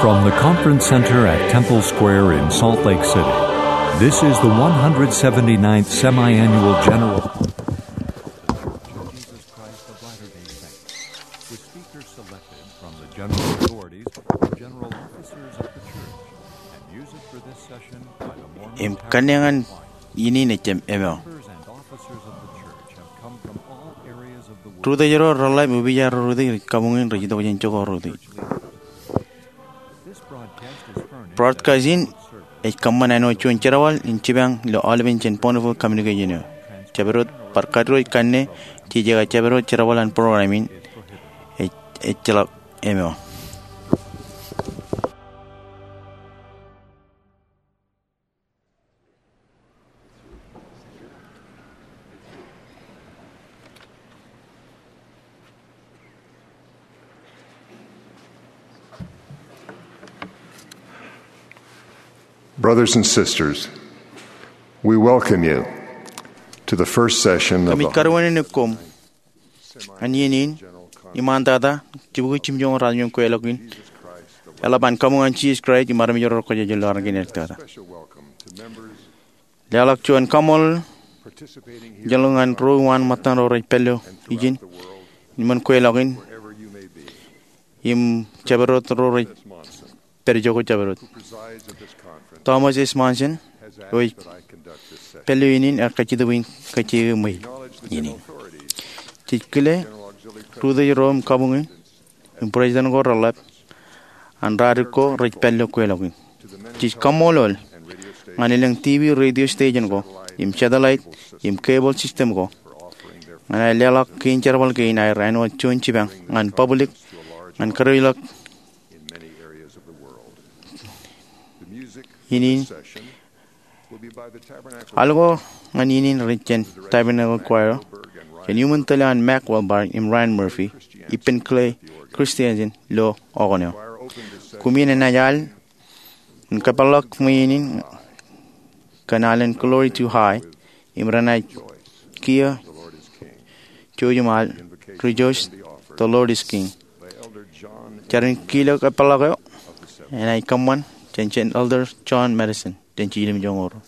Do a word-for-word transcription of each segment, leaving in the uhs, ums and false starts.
From the Conference Center at Temple Square in Salt Lake City, this is the one hundred seventy-ninth Semi-Annual General Jesus Christ of Latter-day Saints, with speakers selected from the general authorities and general officers of the church, and music for this session by the Mormon Im Tabernacle kaneeñan Choir. Iien in ej jab emaroñ. Members and officers of the church have come from all areas of the world. Rūtōj ro reḷap im upijar ro rūtōj rej kabuñ in rej itok jān jokwe ro rūtōj. Broadcast in ej kōṃṃan āinwōt juon jerbal in jipañ ilo aolepen jān Bonneville Communication eo. Jabdewōt bar kadiwōj kanne, jeje aō jabdewōt jerbal an program in ej, ejjeḷọk emaroñ. Brothers and sisters, we welcome you to the first session of the Kōmij karuwainene koṃ ñan iien in iṃaantata, jibukwi jiljilimjuonñoul ratimjuonñoul kweilọk in, eḷap an kabuñ an Jisōs Kraist im armej ro rej kōjjab ilo armej in ektata. Leḷọk juon kaṃṃoolol ijin ñan ro uwaan ṃōttan ro rej pād ilo ijin, ṃōn kweilọk in, im jabdewōt ro rej pād jokwe jabdewōt. Thomas S. Monson, eo ej pād ilo iien in, ear kajjitōk bwe in kajjitōk ṃweiuk iien in. Jej kile rūtōj ro im kabuñ in, im president ko reḷap, an raan ko rej pād ilo kweilọk in. Jej kaṃṃoolol ñan elōñ TV radio station ko, im satellite, im cable system ko, ñan aer leḷọk kein jerbal kein aer āinwōt juon jipañ ñan public, ñan kadiwōjḷọk iien in. Al ko ñan iien in rej jān Tabernacle Choir, jān iuṃwin tōl eo an Mack Wilberg im Ryan Murphy, ippān Clay Christensen ilo okōn eo. Koṃ iien enaaj al im kōpeḷḷọk ṃwiin in kōn alen Glory Too High, im renaaj kiiō jouj im al Rejoice, the Lord is King. Jar in kile kōpeḷḷọk eo enaaj kōṃṃan jān jān Elder John Madison jān jiljilimjuonñoul.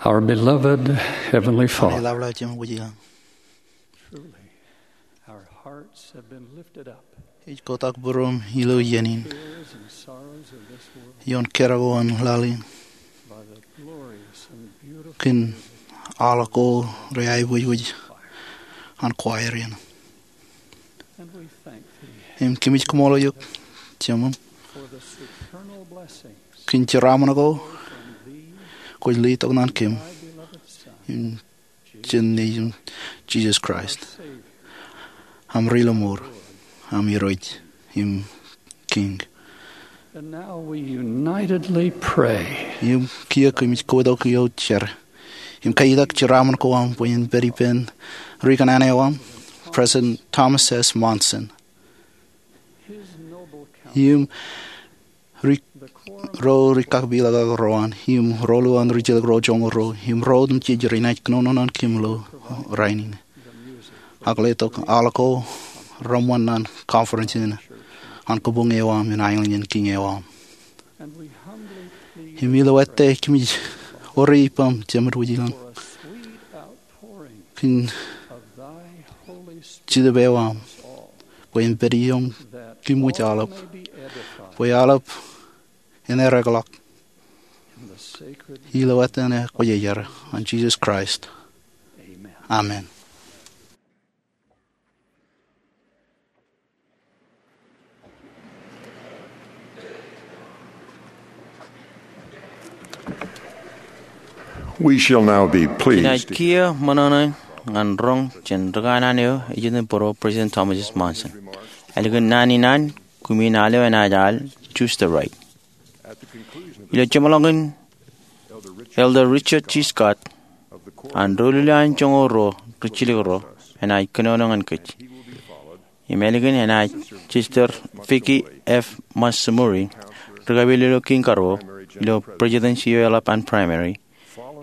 Our beloved Heavenly Father, Ilabla Jemem Wūjlañ, truly, our hearts have been lifted up. Ej kotak būruōm ilo iien in. Fears and sorrows of this world, ioon kōrā ko an laḷ in, by the glorious and beautiful kōn aḷ ko reaiboojoj an choir in. And we thank thee, im kōmij kaṃṃoolol eok, Jemem, for the supernal blessings kōn jeraaṃṃan ko from thee kwōj letok ñan kōm, thy beloved Son, im jān Nejiṃ Jisōs Kraist, aṃ Ri-lọmọọr, aṃ Irooj im Kiiñ. And now we unitedly pray. Im kiiō kōmij kotak ioon jar im kaitak jeraaṃṃan ko aṃ bwe en pād ippān ri-kōṇaan eo aṃ, President Thomas S. Monson. His noble counsel, im ri-, ro rikakpeḷḷọk ro an, im roluuḷ an rijjelōk ro joñoul ruo, im ro otemjej renaaj kōnono ñan kōm ilo rainin, ak letok aḷ ko reṃṃan ñan conference in an kabuñ eo aṃ im aelōñ in Kiiñ eo aṃ. And we humbly plead, im ilo ettā kōmij ori ippaṃ, Jemem Wūjlañ, for a sweet outpouring kōn of thy Holy Spirit, jitōb eo aṃ, bwe en pād ippām, that kōm wōj all aḷap, may be edified, bwe aḷap en ereḷọk in the sacred ilo ettā ṇe kwōjarjar an Jisōs Kraist. Amen. Amen. We shall now be pleased. Inaaj kiiō ṃōṇōṇō ñan roñ jān rūkanaan eo ejitōnbōro President Thomas S. Monson. Ālikin naan in an, kumi in al eo enaaj al Choose the Right. Ilo jeṃḷọkin, Elder Richard G. Scott an doulul eo an joñoul ruo rijjilōk ro enaaj kōnono ñan kōj. Im ālikin enaaj Sister Vicki F. Matsumori, ri-kapeel ilo Kiiñ Karuo ilo Presidency eo eḷap an Primary.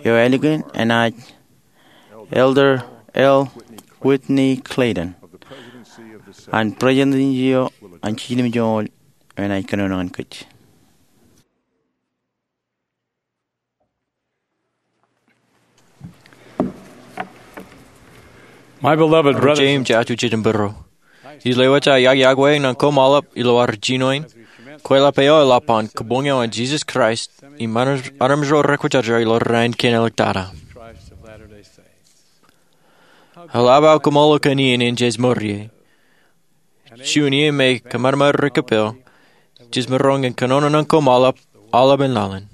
Eo ālikin enaaj Elder L. Whitney Clayton an Presidency eo an Jiljilimjuonñoul eo enaaj kōnono ñan kōj. My beloved brothers, Jeiū im jatū jitōnbōro, ij lewōj aō yokwe ñan koṃ aolep ilo ad jino in kweilọk eo eḷap an kabuñ eo an Jisōs Kraist im armej ro rekwōjarjar ilo raan kein āliktata. Eḷap aō kaṃṃoolol kōn iien in jej mour ie. Juon iien me kōṃanṃan ri-kōppel, jej maroñ in kōnono ñan koṃ aolep aolepen laḷ in.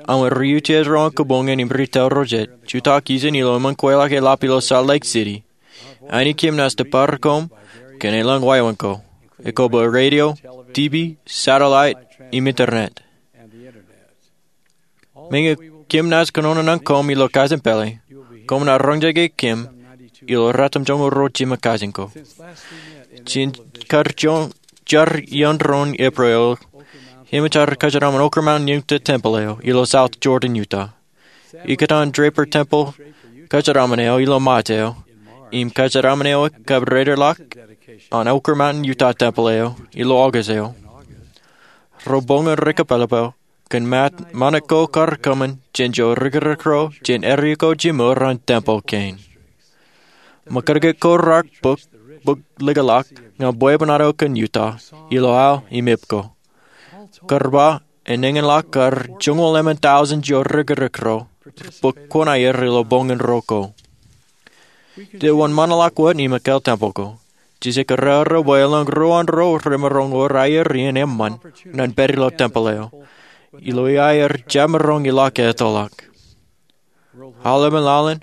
Aṃ riutiej ro an kabuñ in im retail ro jet, jutak ijin ilo eṃṃan kweilọk eḷap ilo Salt Lake City. Aini kōm naaj tōpar koṃ kōn elōñ wāween ko, ekōbwe radio, TV, satellite, im internet. Meñe kōm naaj kōnono ñan koṃ ilo kajen pālle, koṃ naaj roñjake kōm ilo ratimjuonñoul ruo jiṃṃa kajen ko. Jān kar jar iien doon Eprel, eṃōj aō kōjeraaṃṃan Oquirrh Mountain Utah Temple eo ilo South Jordan, Utah. Ikōtaan Draper Temple kōjeraaṃṃan eo ilo March eo, im kōjeraaṃṃan eo kab raelep ḷọk an Oquirrh Mountain Utah Temple eo ilo August eo. Ro boñōn ri-kōpeḷḷọk kōn ṃaan ko kar kōṃṃan jān jo rikirikro jān area ko jimor an tempeḷ kein. Ṃōkaj ko rak bōk, bōk likḷọk ñan bwebwenato kōn Utah ilo aō im ipko. Kar ba enañinḷọk kar joñoul emān tọujin jo rikirikro bōk kuṇaer ilo boñōn ro ko. Ij wōnṃaanḷọk wōt im ekāāl tempeḷ ko. Jej kōrā ro bwe elōñ ruo an ro remaroñ wōr aer iien eṃṃan ñan pād ilo tempeḷ eo, ilo ia aer jab maroñ ilọk ettoḷọk. Aolepen laḷ in,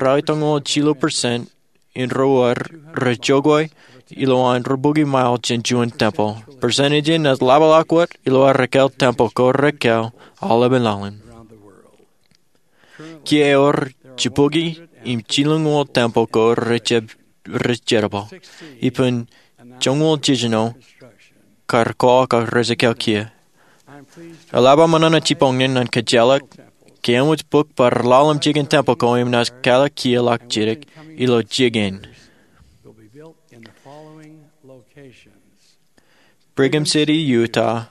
ralitōñoul jilu percent in ro wōr rej jokwe ilowaan rubukwi mile jān juon tempeḷ. Percent ijin naaj laḷḷọk wōt ilo aer ekāāl tempeḷ ko rekāāl aolepen laḷ in. Kiiō ewōr jibukwi im jilñuul tempeḷ ko rej jab, rej jerbal. Ippān joñoul jiljino kar kōḷ kōn rej ekāāl kiiō. Eḷap aō ṃōṇōṇō jibboñōn ñan kōjjeḷọk ke eṃōj bōk bar ḷalem jikin tempeḷ ko im naaj kālọk kiiō ḷọk jidik ilo jikin. Brigham City, Utah.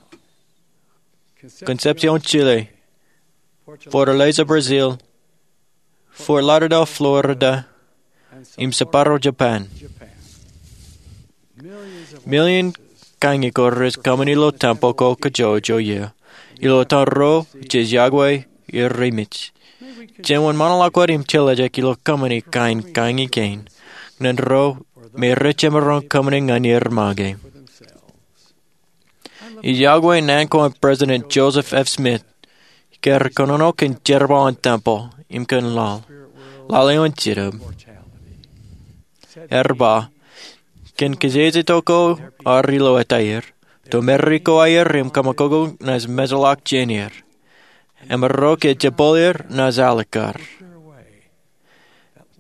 Concepcion, Chile. Fortaleza, Brazil, Fort Lauderdale, Florida, im Sapporo, Japan. Million kaññi ko rej kōṃṃani ilo tempeḷ ko kajjojo iiō ilo etan ro jej yokwe er remej. Jen wōnṃaanḷọk wōt im jeḷā ilo kōṃṃani kain kaññi kein ñan ro me rej jemaroñ kōṃṃani ñan er make. Ij yokwe naan ko an President Joseph F. Smith kar kōnono kōn jerbal in tempeḷ im kōn laḷ, laḷ eo an jinōb. Ear ba, kōn kōjejjeto ko ad ilo etaer, to merrikō aer im kōṃakoko naaj mejḷọk jān er. Im ro ke jepel er naaj alikkar.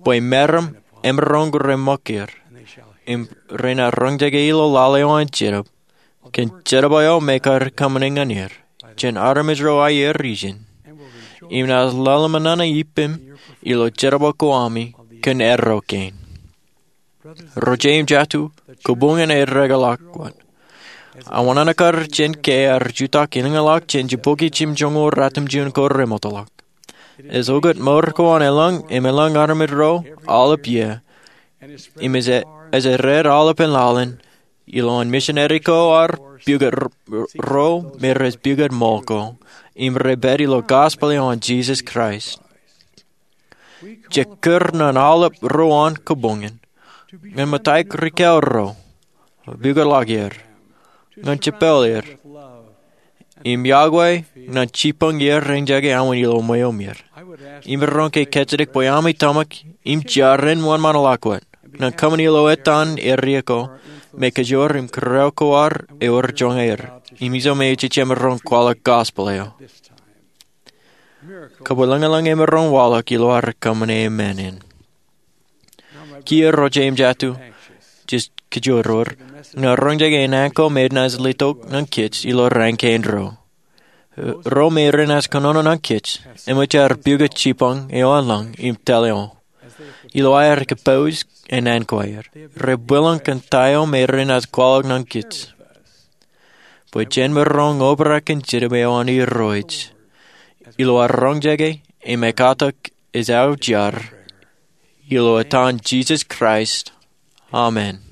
Bwe meram emaroñ reṃōk er, im renaaj roñjake ilo laḷ eo an jinōb, kōn jerbal eo me kar kōṃṃani ñan er jān armej ro aer ijin, im naaj lale ṃōṇōṇō ippem ilo jerbal ko ami kōn erro kein. Ro jeiū im jatū, kabuñōn ear ekḷọk wōt. Aō wōṇāān kar jen ke ear jutak ilōñḷọk jān jibukwi jimjuonñoul ratimjuon ko remootḷọk. Ej okūt mour ko an elōñ im elōñ armej ro aolep iiō, im ej, ej rej aolepen laḷ in, ilowaan misineri ko ad pukot ro me rej pukot ṃool ko, im rej pād ilo gospel eo an Jisōs Kraist. Jej kūr ñan aolep ruo an kabuñōn ñan ṃōttan rikao ro, pukotḷọk er, ñan jepel er, im yokwe ñan jibboñ iar eñjake aō in ilo ṃweo er. Im iroñ ke kajjitōk bwe ami tōmak im jar en wōnṃaanḷọk wōt ñan kōṃṃani ilo etan area ko me kōjro im kōrā ko ad ewōr joñan er, im ijo me ej jemaroñ kwaḷọk gospel eo. Kab elōñelōñ emaroñ waḷọk ilo ad kōṃṃane men in. Kiiō ro jeiū im jatū, jej kōjro er ñan roñjake naan ko me enaaj letok ñan kōj ilo raan kein ro. Ro me renaaj kōnono ñan kōj eṃōj aer pukot jibboñ eo an lañ im tōl eo ilo aer kōpooj naan ko aer. Rej bwilōñ kōn ta eo me renaaj kwaḷọk ñan kōj bwe jen maroñ obrak kōn jinōb eo an Irooj ilo ad roñjake im ekkatak ej aō jar, ilo etan Jisōs Kraist, amen.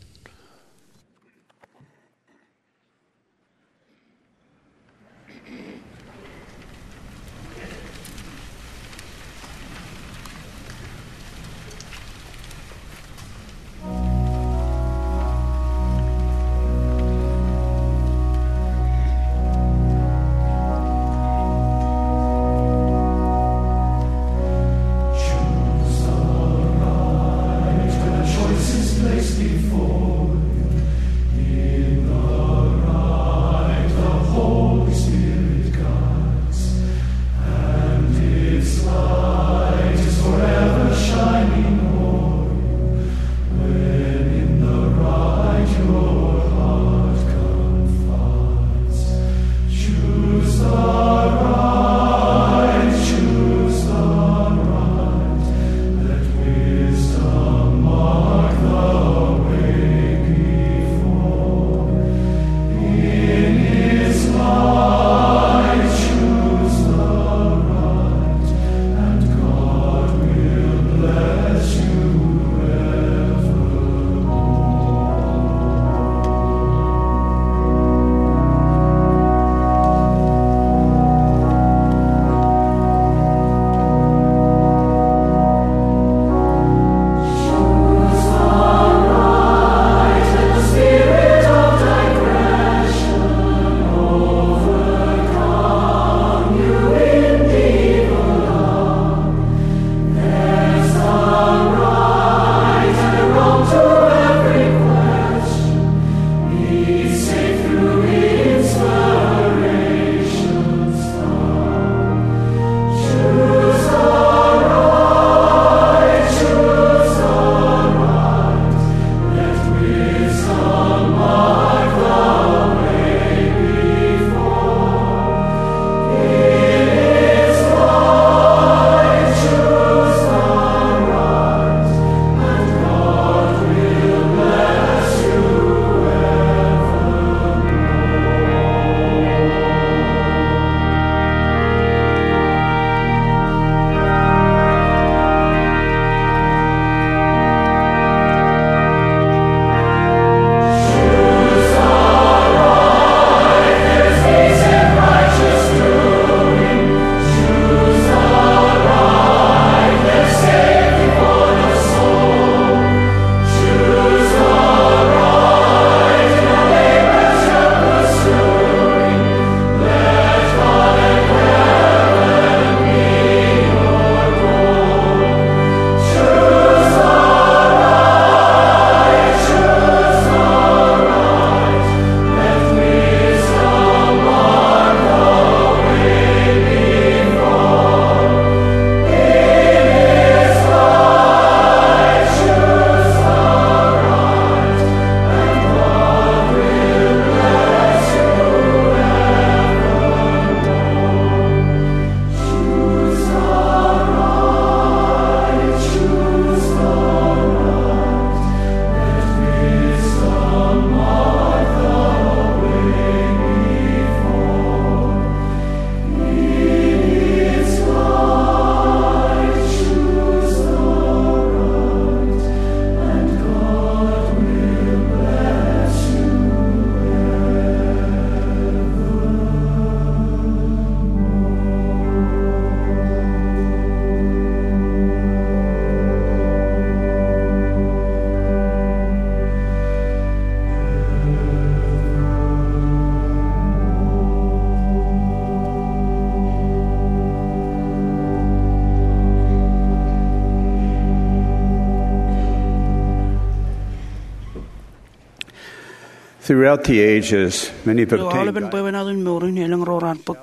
Throughout the ages, many have Ilo aolepen obtained bwebwenato in mour in, elōñ ro raar bōk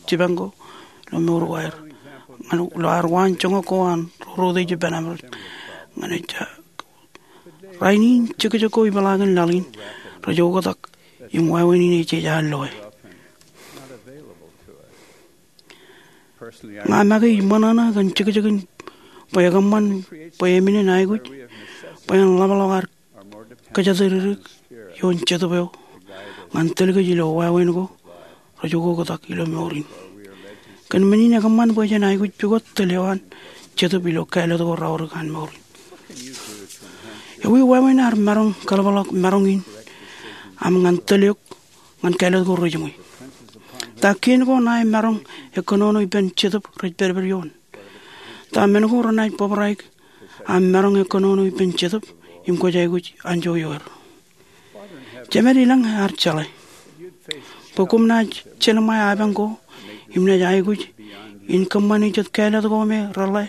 jipañ ko ilo mour ko aer. Ñan ilo ad waan joñak ko an ro routej ippān Amedka ñan ejja. Rainin jekjek ko ipeḷaakin laḷ in rej oktak im wāween in ej jeje loe. Ña make ij ṃōṇōṇō kōn jekjekin bwe ekōṃṃan bwe emān in aikuj bwe en ḷapḷọk ad kōjatdikdik ioon Jetōb eo ñan tōl kōj ilo wāween ko rej oktak ilo mour in. Kōn men in ekōṃṃan bwe jen aikuj pukot tōl eo an Jetōb ilo kāālōt ko raorōk an mour in. Ewi wāween ad maroñ kaḷapḷọk maroñ in aṃ ñan tōl eok ñan kāālōt ko rejiṃwe? Ta kien ko ṇae maroñ ekkōnono ippān Jetōb rej pedped ioon? Ta men ko renaaj bōbraik aṃ maroñ ekkōnono ippān Jetōb im kwōj aikuj anjọ ioer? Jemed ilañ ear jeḷā bwe koṃ naaj jelṃae apañ ko im naaj aikuj in kōṃṃane jet kāālōt ko me reḷḷā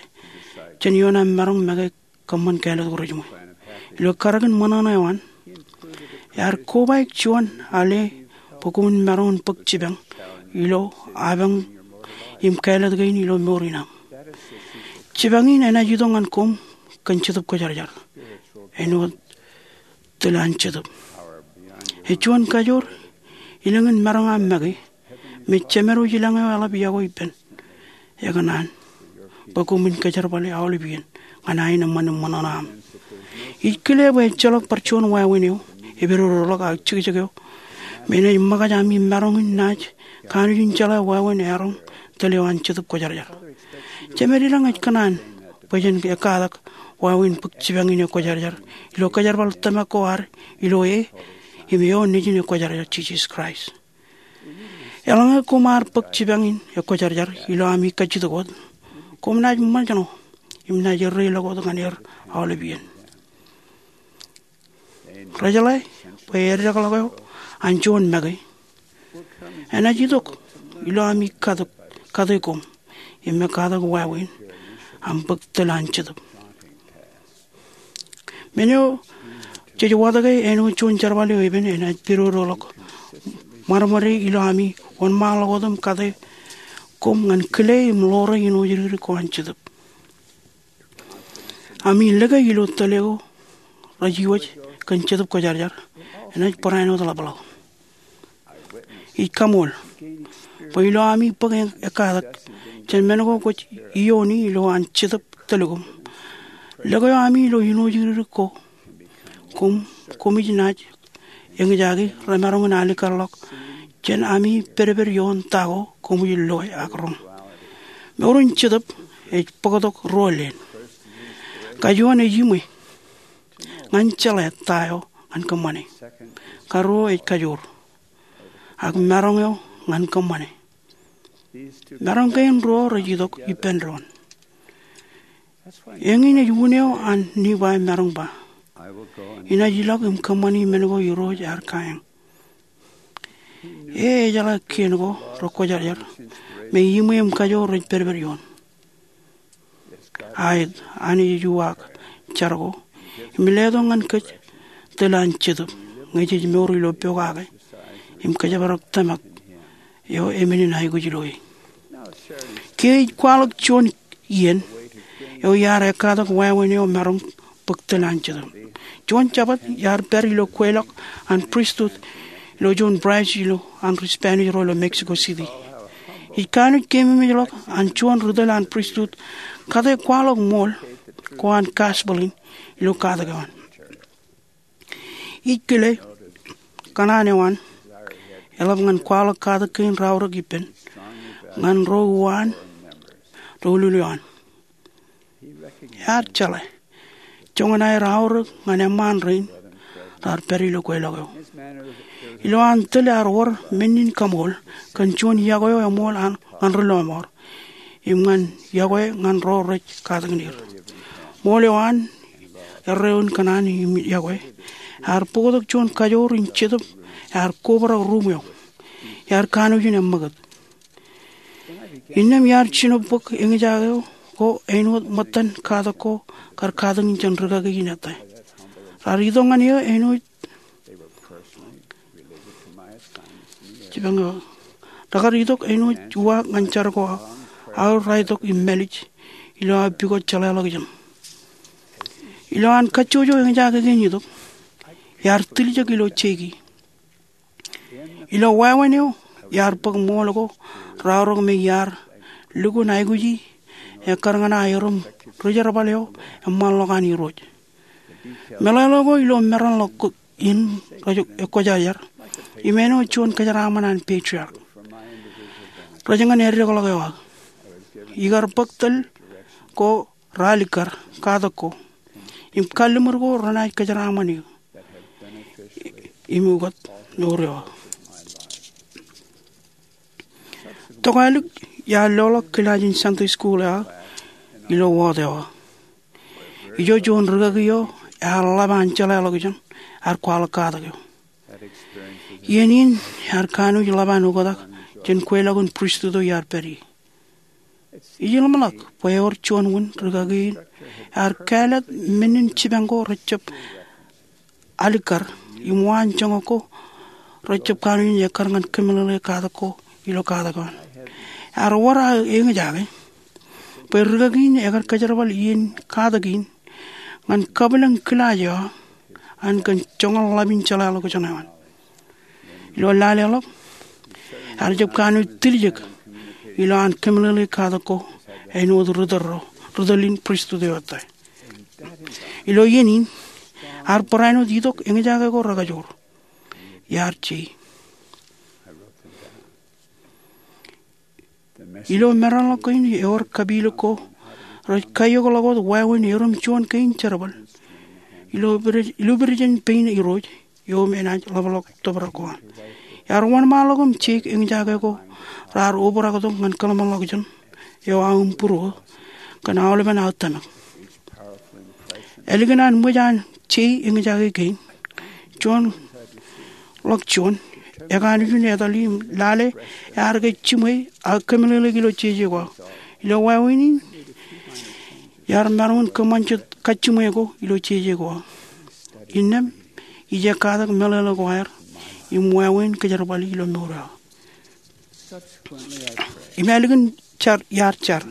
jān ioon aṃ maroñ make kōṃṃan kāālōt ko rejiṃwe. Ilo karōk in ṃōṇōṇō eo an, ear kobaik juon ale bwe koṃwin maroñ in bōk jipañ ilo apañ im kāālōt kein ilo mour in aṃ. Jipañ in enaaj itok ñan koṃ kōn Jetōb Kwōjarjar, āinwōt tōl an Jetōb. Ej juon kajoor ilañ in maroñ aṃ make me Jemed eo ilañ eo eḷap yokwe ippān. Ekōṇaan bwe koṃwin kōjerbale aolep iien ñan aenōṃṃan im ṃōṇōṇō aṃ. Ij kile bwe ejjeḷọk bar juon wāween eo epidodoḷọk ak jekjek eo me enaaj ṃōkaj ami maroñ in naaj kanooj in jeḷā wāween eọroñ tōl eo an Jetōb Kwōjarjar. Jemed ilañ ej kōṇaan bwe jen ekkatak wāween bōk jipañ in ekwōjarjar ilo kōjerbal tōmak ko ad ilo e im eo nejin ekwōjarjar, Jisōs Kraist. Eḷaññe koṃ ar bōk jipañ in ekwōjarjar ilo ami kajjitōk wōt, koṃ naaj ṃōjṇọ im naaj erreilọk wōt ñan er aolep iien. Rejeḷā bwe eddekḷọk eo an juon make enaaj itok ilo ami kate, kate koṃ im ekkatak wāween aṃ bōk tōl an Jetōb. Men eo jej watōke āinwōt juon jerbal eo epen enaaj pidodoḷọk ṃadṃōde ilo ami wōnṃaanḷọk wōt im kate koṃ ñan kile im ḷoore āinwōt jidikdik ko an Jetōb. Ami lōke ilo tōl eo rej iwōj kōn Jetōb Kwōjarjar enaaj barāinwōt ḷapḷọk. Ij kaṃool bwe ilo ami bōk ekkatak jān men ko kwōj iiooni ilo an Jetōb tōl koṃ, lōke eo ami ilo āinwōt jidikdik ko koṃ, koṃij naaj eñjake remaroñ in alikkar ḷọk jān ami pedped ioon ta ko koṃij loe ak roñ. Mour in Jetōb ej bōktok ruo leen. Kajuon ej iṃwe ñan jeḷā ta eo ñan kōṃṃane. Karuo ej kajoor ak maroñ eo ñan kōṃṃane. Maroñ kein ruo rej itok ippān doon. Eñin ej un eo an Nifai maroñ ba, inaaj ilọk im kōṃṃani men ko Irooj ear kaeñ. E ejeḷā kien ko rekwōjarjar me iṃwe im kajoor rej pedped ioon. Aet, Anij ej uwaak jar ko im letok ñan kōj tōl an Jetōb ñe jej mour ilo pokake im kōjparok tōmak eo emān in aikuj ilo e. Kiiō ij kwaḷọk juon iien eo iar ekkatak wāween eo maroñ bōk tōl an Jetōb. Juon Jabōt iar pād ilo kweilọk an pristut ilo juon branch ilo an ri Spanish ro ilo Mexico City. Ij kanooj keememej ḷọk an juon ri tōl an pristut kate kwaḷọk ṃool ko an gospel in ilo katak eo an. Ij kile kōṇaan eo an eḷap ñan kwaḷọk katak kein raorōk ippān ñan ro uwaan ri-ulul eo an. Ear jeḷā joñan aer aorōk ñan eṃṃaan rein raar pād ilo kweilọk eo. Ilo an tōl ear wōr men in kaṃool kōn juon yokwe eo eṃool ñan ri-lọmọọr im ñan yokwe ñan ro rej katakin er. Ṃool eo an erreoon kōṇaan im yokwe ear bōktok juon kajoor in Jetōb ear kobrak ruuṃ eo. Ear kanooj in eṃṃakūt. Innām iar jino bōk eñjake ko āinwōt ṃōttan katak ko kar katakin jān rikaki in ettā. Raar itok ñan eō āinwōt Rekar itok āinwōt uwaak ñan jar ko aō, raar itok im mālij ilo aō pukot jeḷāḷọkjeṇ. Ilo an kajjojo eñjake kein itok, iar tiljek ilo jeiki. Ilo wāween eo, iar bōk ṃool ko raorōk me iar lukkuun aikuji ekkar ñan aō erom rijerbal eo eṃṃanḷọk an Irooj. Meḷeḷe ko ilo maroñ ḷọk in rej ekkojajar im āinwōt juon kōjeraaṃṃan an patriarch rej ñan eddekḷọk eo aō. Ikar bōk tōl ko raar likkar katak ko im kalliṃur ko renaaj kōjeraaṃṃan eō im ukōt mour eo aō. Tokālik iar loḷọk kilaaj in Sunday school eo aō ilo wōt eo aō. Ijo juon rikaki eo ear ḷap an jeḷāḷọkjeṇ ear kwaḷọk katak eo. Iien in ear kanooj ḷap an oktak jān kweilọk in pristut eo iar pād ie. Ij ḷōmṇak bwe ewōr juon wūn rikaki in ear kāālōt men in jipañ ko rejjab alikkar im waan joñak ko rejjab kanooj in ekkar ñan kōmeḷeḷe katak ko ilo katak eo an. Ear wōr aō eñjake bwe rikaki in ekar kōjerbal iien katak in ñan kabwilōñ kilaaj eo an kōn joñan ḷap in jeḷāḷọkjeṇ eo an. Ilo lale ḷọk, ear jab kanooj tiljek ilo an kōmeḷeḷe katak ko āinwōt ri tōl ro, ri tōl in pristut eo ettā. Ilo iien in, ear barāinwōt itok eñjake ko rekajoor. Iar jei. Ilo maroñ ḷọk kein ewōr kapilōk ko rej kaiokḷọk wōt wāween erom juon kein jerbal ilo pide, ilo pide jān pein Irooj eo im enaaj ḷapḷọk tōprak ko an. Iar wōnṃaanḷọk im jeik eñjake ko raar obrak tok ñan kōḷmānḷọkjeṇ eo aō im būruō kōn aolepen aō tōmak. Ālikin an ṃōj an jei eñjake kein, juon ḷọk juon, ekanooj in etal im lale ear ke jiṃwe aō kōmeḷeḷeik ilo jeje ko aō. Ilo wāween in, iar maroñ in kōṃṃan jet kajjiṃwe ko ilo jeje ko aō. Innām ij katak meḷeḷe ko aer im wāween kōjerbali ilo mour eo aō. Im ālikin jar, iar jar,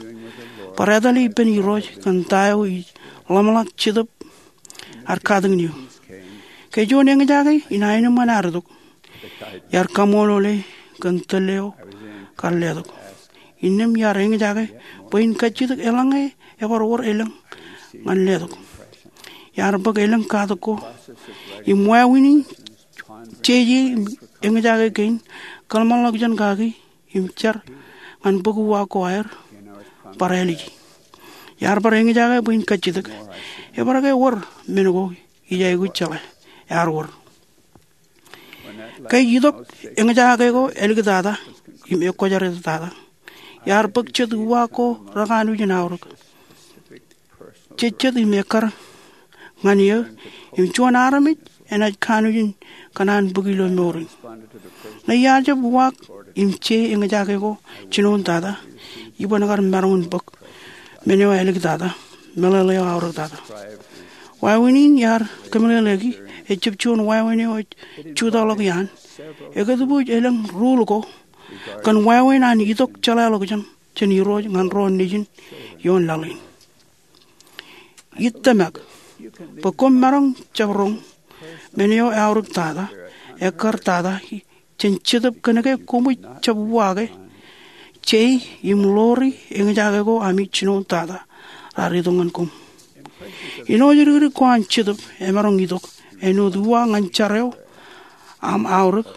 bar etale ippān Irooj kōn ta eo ij ḷōmṇak Jetōb ear katakin eō. Ke juon eñjake in aenōṃṃan ear itok, iar kaṃṃoolol e kōn tōl eo kar letok. Innām iar eñjake bwe in kajjitōk eḷaññe ebar wōr elōñ ñan letok. Iar bōk elōñ katak ko im wāween in jeje im eñjake kein kōḷmānḷọkjeṇ kaki im jar ñan bōk uwaak ko aer bar āliji. Iar bar eñjake bwe in kajjitōk, ebar ke wōr men ko ij aikuj jeḷā, ear wōr. Ke itok eñjake ko āliktata im ekkwōjartata, iar bōk jet uwaak ko rekanooj in aorōk. Jejjet im ekkar ñan eō im juon armej enaaj kanooj in kōṇaan bōk ilo mour in. Ñe iar jab uwaak im jei eñjake ko jinoin tata, iban kar maroñ in bōk men eo āliktata, meḷeḷe eo aorōktata. Wāween in iar kōmeḷeḷeiki ejjab juon wāween eo ej jutaḷọk iaan. Ekōtbwij elōñ rule ko kōn wāween an itok jeḷāḷọkjeṇ jān Irooj ñan ro nejin ioon laḷ in. Ij tōmak bwe koṃ maroñ jab roñ men eo eaorōktata, ekkartata jān Jetōb kōnke koṃij jab uwaake jei im ḷoori eñjake ko ami jinoin tata raar itok ñan koṃ. Āinwōt dikdik ko an Jetōb emaroñ itok āinwōt uwaak ñan jar eo aṃ aorōk,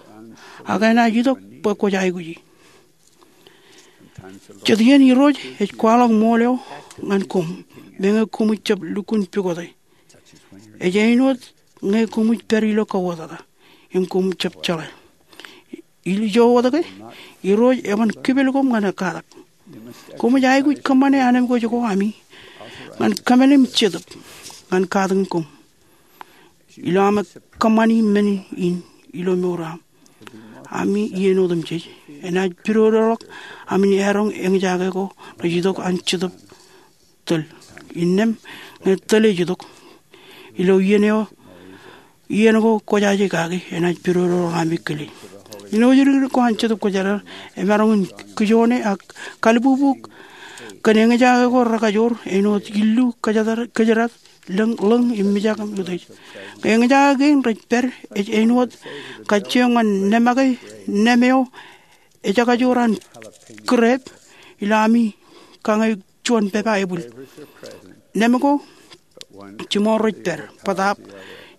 ak enaaj itok bwe kwōj aikuji. Jet iien Irooj ej kwaḷọk ṃool eo ñan koṃ meñe koṃij jab lukkuun pukote. Ej āinwōt ñe koṃij pād ilo kauwōtata im koṃ jab jeḷā. Ilo ijo wōt ke, Irooj eban kipel koṃ ñan katak. Koṃij aikuj kōṃṃane anemikwōj ko ami ñan kōmālim Jetōb ñan katakin koṃ. Ilo aṃ kōṃṃani men in ilo mour eo aṃ, ami iien otemjej enaaj pidodoḷọk aṃ in eroñ eñjake ko rej itok an Jetōb tōl. Innām ñe tōl ej itok ilo iien eo, iien ko kwōjaje kaki enaaj pidodoḷọk ami kile. Āinwōt ri-ri ko an Jetōb Kwōjarjar emaroñ in kijoone ak kalbubu kōn eñjake ko rekajoor āinwōt illu kōjdat, kōjdat, lōñ, lōñ im mijak im utiej. Eñjake kein rej pād ej āinwōt kajjioñ ñan nemake, nem eo ejakajoor an kūrep ilo ami kañe juon pepa ebwil. Nem ko jiṃor rej pād, bōtaab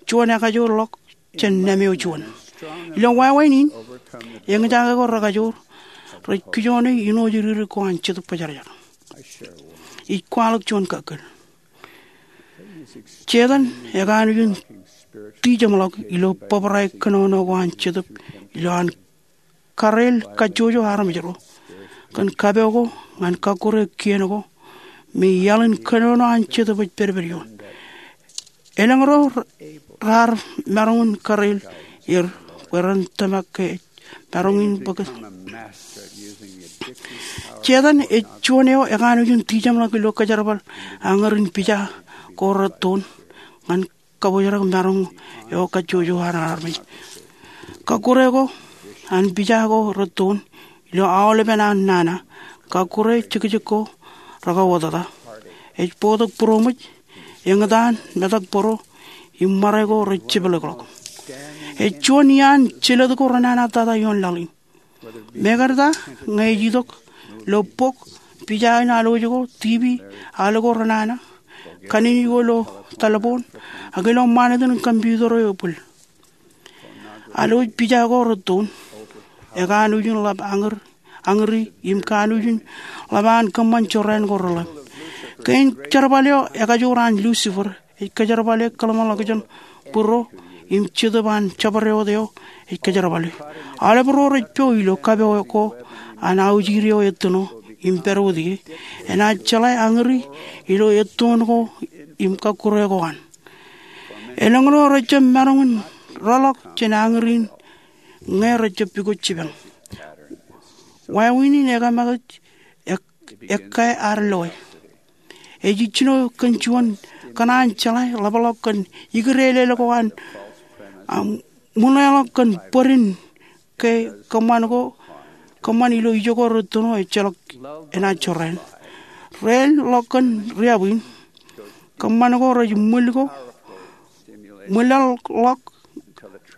juon ekajoor ḷọk jān nem eo juon. Ilo wāween in, eñjake ko rekajoor rej kijoone āinwōt ri-ri ko an Jetōb Kwōjarjar. Ij kwaḷọk juon kakkōl. Setan ekanooj in tijeṃḷọk ilo bōbrae kōnono ko an Jetōb ilo an kareel kajjojo armej ro kōn kapo ko ñan kakkure kien ko me iaḷ in kōnono an Jetōb ej pedped ioon. Elōñ ro raar maroñ in kareel er bwe ren tōmak ke ej maroñ in bōk. Setan ej juon eo ekanooj in tijeṃḷọk ilo kōjerbal añōrin pija ko rettoon ñan kabōjrak maroñ eo kajjojo an armej. Kakkure ko an pija ko rettoon ilo aolepen an nana, kakkure jekjek ko rekauwōtata. Ej bōktok būroṃōj, eñtaan, metak bōro, im ṃare ko rej jepḷọkḷọk. Ej juon iaan jelōt ko renana tata ioon laḷ in. Mekarta ñe ej itok ilo bok, pija in alwōj ko, TV, al ko renana, kanini ko ilo talboon, ak ilo ṃanit in computer eo ebwil. Alwōj pija ko rettoon ekanooj in ḷap añōr, añōri im kanooj in ḷap an kōṃṃan jorrāān ko reḷap. Kein jerbal eo ekajoor an Lucifer ej kōjerbale kōḷmānḷọkjeṇ būro im Jetōb an jabdewōt eo ej kōjerbale. Aolep ro rej po ilo kapo ko an aujir eo ettino im pād wōt ie, enaaj jeḷā añōri ilo ettoon ko im kakkure ko an. Elōñ ro rejjab maroñ in rōḷọk jān añōri in ñe rejjab pukot jipañ. Wāween in ekāmake ej ek-, ekkae ad loe. Ej ijjino kōn juon kōṇaan jeḷā ḷapḷọk kōn ikdeelel ko an, am, ṃuṇeḷọk kōn bōd in ke kōṃṃan ko, kōṃṃan ilo ijo ko rettino ejjeḷọk enaaj jorrāān. Reelḷọk kōn riab in, kōṃṃan ko rej ṃwil ko, ṃwilaḷḷọk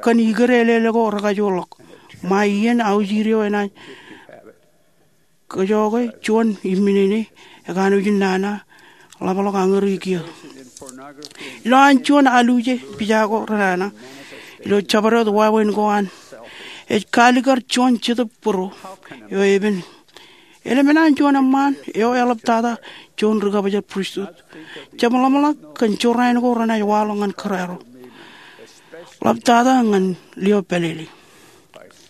kōn ikdeelel ko rekajoorḷọk. Ṃae iien aujir eo enaaj kōjọke juon imminene ekanooj in nana ḷapḷọk añōri kiiō. Ilo an juon aluje pija ko renana ilo jabdewōt wāween ko an, ej kaalikkar juon jetōb būro eo epen. Eḷap an juon eṃṃaan eo eḷaptata juon ri-kabōjrak pristut. Jab ḷōmṇak kōn jorrāān ko renaaj waḷọk ñan kōrā ro, ḷaptata ñan lio pālele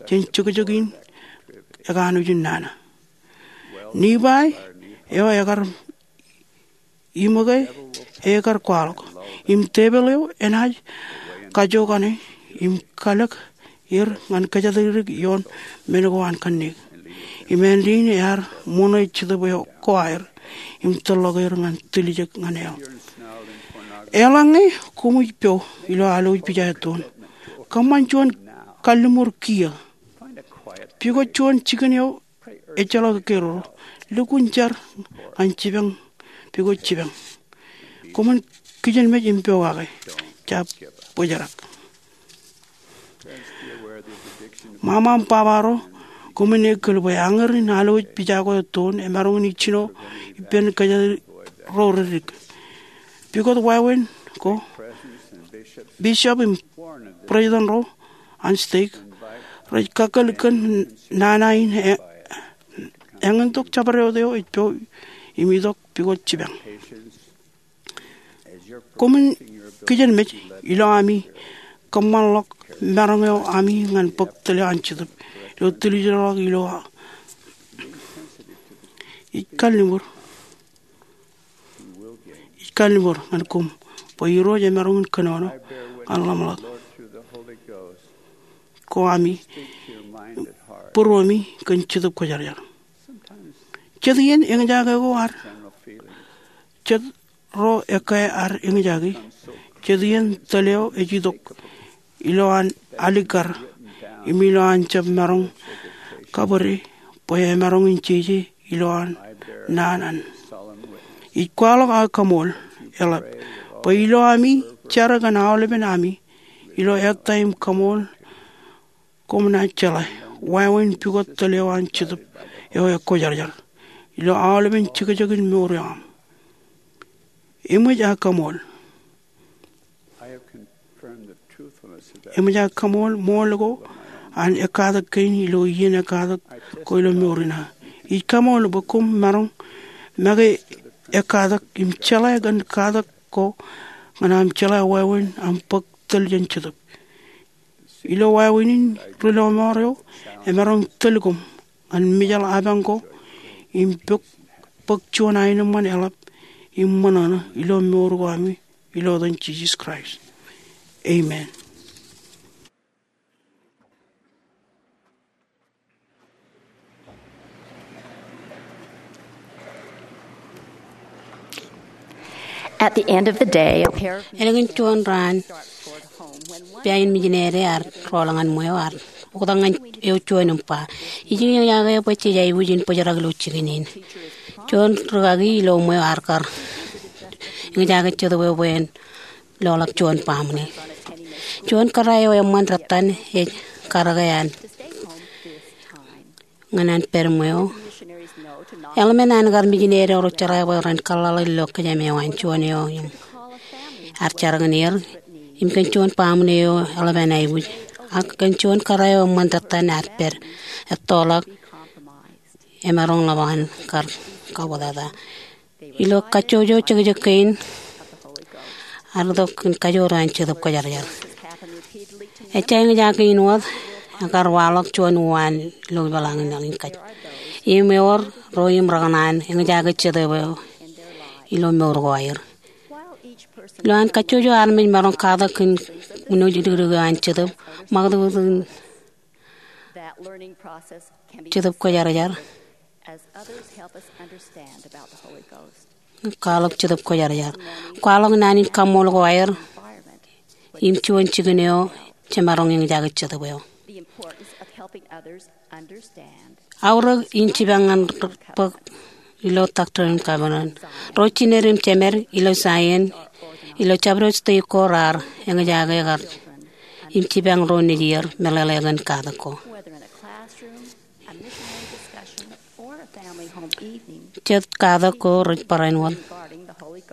jān jekjek in ekanooj in nana. Nibai eo ekar iṃōke ekar kwaḷọk im tepel eo enaaj kajokane im kalōk er ñan kōjatdikdik ioon men ko an kanniōk. Im āindein ear ṃoṇe jetōb eo ko aer im tōlḷọk er ñan tiljek ñan hell. Eḷaññe koṃij po ilo alwōj pija ettoon, kōṃṃan juon kalliṃur kiiō. Pukot juon jikin eo ejjeḷọk ekkere ro. Lukkuun jar ñan jipañ, pukot jipañ. Koṃwin kijenmej im pokake. Jab bōjrak. Ṃaṃa im baba ro, koṃwin ekkōl bwe añōr in alwōj pija ko ettoon emaroñ in ijjino ippān kōjatdikdik ro reddik. Pukot wāween ko, bishop im president ro an stake rej kakkōl kōn nana in e-, eñintok jabdewōt eo ej po im itok pukot jipañ. Koṃwin kijenmej ilo ami kōṃṃanḷọk maroñ eo ami ñan bōk tōl eo an Jetōb ilo tiljekḷọk ilo a-, ij kalliṃur, ij kalliṃur ñan koṃ bwe Irooj emaroñ in kōnono ñan ḷōmṇak ko ami būruemi kōn Jetōb Kwōjarjar. Jet iien eñjake ko ad, jet ro ekkā ad eñjake, jet iien tōl eo ej itok ilo an alikkar im ilo an jab maroñ kabōde bwe emaroñ in jeje ilowaan naan an. Ij kwaḷọk aō kaṃool eḷap bwe ilo ami jar kōn aolepen ami ilo ettā im kaṃool koṃ naaj jeḷā wāween pukot tōl eo an Jetōb eo ekwōjarjar ilo aolepen jekjekin mour eo aṃ. Eṃōj aō kaṃool. Eṃōj aō kaṃool ṃool ko an ekkatak kein ilo iien ekkatak ko ilo mour in aō. Ij kaṃool bwe koṃ maroñ make ekkatak im jeḷā kōn katak ko ñan aṃ jeḷā wāween aṃ bōk tōl jān Jetōb. Ilo wāween in ri lọmọọr eo emaroñ tōl koṃ ñan mejaḷ apañ ko im bōk, bōk juon aenōṃṃan eḷap im ṃōṇōṇō ilo mour ko ami ilo etan Jisōs Kraist. Amen. At the end of the day, a pair of Ālikin juon raan, pā in mijinede ear rọọl ñan ṃweo, ear oktak ñan eo juon im ba, ij eñjake bwe jej aikuj in bōjrak ilo jikin in. Juon rūkaki ilo ṃweo ear kar eñjake Jetōb eo bwe en lọḷọk juon baaṃle. Juon kōrā eo eṃṃan dettan ej karōke an ñan an pād ṃweo. Eḷmen an kar mijinede ro jeḷā bwe ren kōḷḷāḷọk ilo kōjām eo an juon eo im ear jar kōn er im kōn juon baaṃle eo eḷap an aikuj. Ak kōn juon kōrā eo eṃṃan dettan ear pād ettoḷọk, emaroñ ḷap an kar kaubōtata. Ilo kajjojo jekjek kein, ear itok kōn kajoor eo an Jetōb Kwōjarjar. Ejja eñjake in wōt, ekar waḷọk juon uwaan ilo peḷaakin laḷ in kōj. Im ewōr ro im rekōṇaan eñjake Jetōb eo ilo mour ko aer. Ilo an kajjojo armej maroñ katak kōn uno jidikdik eo an Jetōb, ṃakūtkūt in Jetōb Kwōjarjar. Kwaḷọk Jetōb Kwōjarjar. Kwaḷọk naan in kaṃṃool ko aer im juon jikin eo jemaroñ eñjake Jetōb eo. Aorōk in jipañ ñan bōk ilo Doctrine and Covenants. Ro jined im jemed ilo Zion, ilo jabdewōt state ko raar eñjake kar im jipañ ro nejier meḷeḷe kōn katak ko. Jet katak ko rej barāinwōt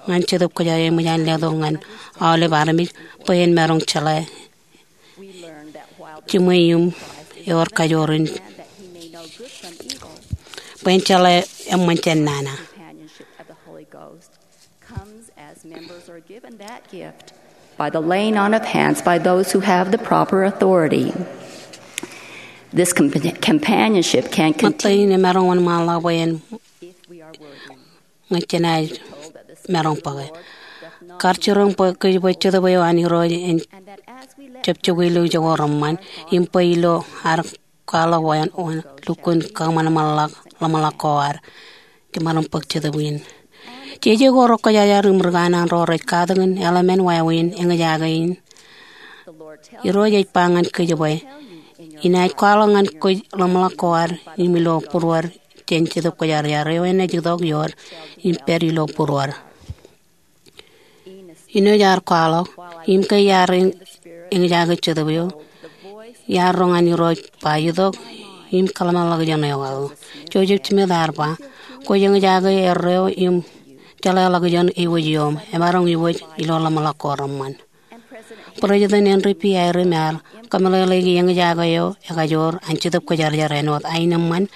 ñan Jetōb Kwōjarjar eṃōj an letok ñan aolep armej bwe en maroñ jeḷā jiṃwe im ewōr kajoor in bwe en jeḷā eṃṃan jān nana. Comes as members are given that gift by the laying on of hands by those who have the proper authority. This compa-, companionship can continue. Ṃōttan in emaroñ wōnṃaanḷọk bwe en ñe jenaaj maroñ bōke. Kar jiroñ bwe kōj bwe Jetōb eo an Irooj en jab jokwe ilo ijoko reṃṃan, im bwe ilo ad kwaḷọk wāween lukkuun kōṃanṃanḷọk ḷōmṇak ko ad, jemaroñ bōk Jetōb in. Jeje ko rej kwōjarjar im ri kanaan ro rej katakin eḷmen wāween eñjake in. Irooj ej ba ñan kōj bwe, inaaj kwaḷọk ñan kōj ḷōmṇak ko ad im ilo būruod jān Jetōb Kwōjarjar eo enaaj itok iood im pād ilo būruod. Inoj ear kwaḷọk, im ke iar eñjake Jetōb eo, iar roñ an Irooj ba itok im kōḷmānḷọkjeṇ eo aō. Joseph Smith ear ba, kwōj eñjake erreo im jeḷāḷọkjeṇ eiwōj iom, emaroñ iwōj ilo ḷōmṇak ko reṃṃan. President Henry B. Eyring ear kōmeḷeḷeiki eñjake eo ekajoor an Jetōb Kwōjarjar āinwōt aenōṃṃan,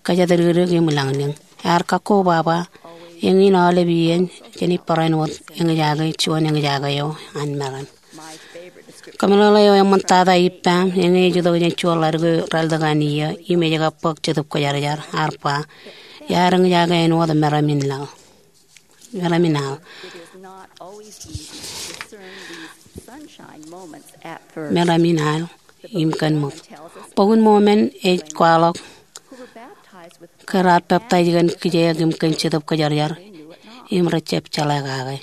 kōjatdikdik im ilañlōñ. Ear kakkobaba, eñin aolep iien, jen barāinwōt eñjake juon eñjake eo an meram. Kōmeḷeḷe eo eṃṃantata ippaṃ, eñin ej itok jān juon ḷadik eo raar itok an iiō, im ej kab bōk Jetōb Kwōjarjar, ear ba, iar eñjake āinwōt meram in laḷ. Meram in al. Meram in al im kōn ṃōk. Bok in Mormon ej kwaḷọk ke raar peptaij kōn kijeek im kōn Jetōb Kwōjarjar im rejjab jeḷā kake.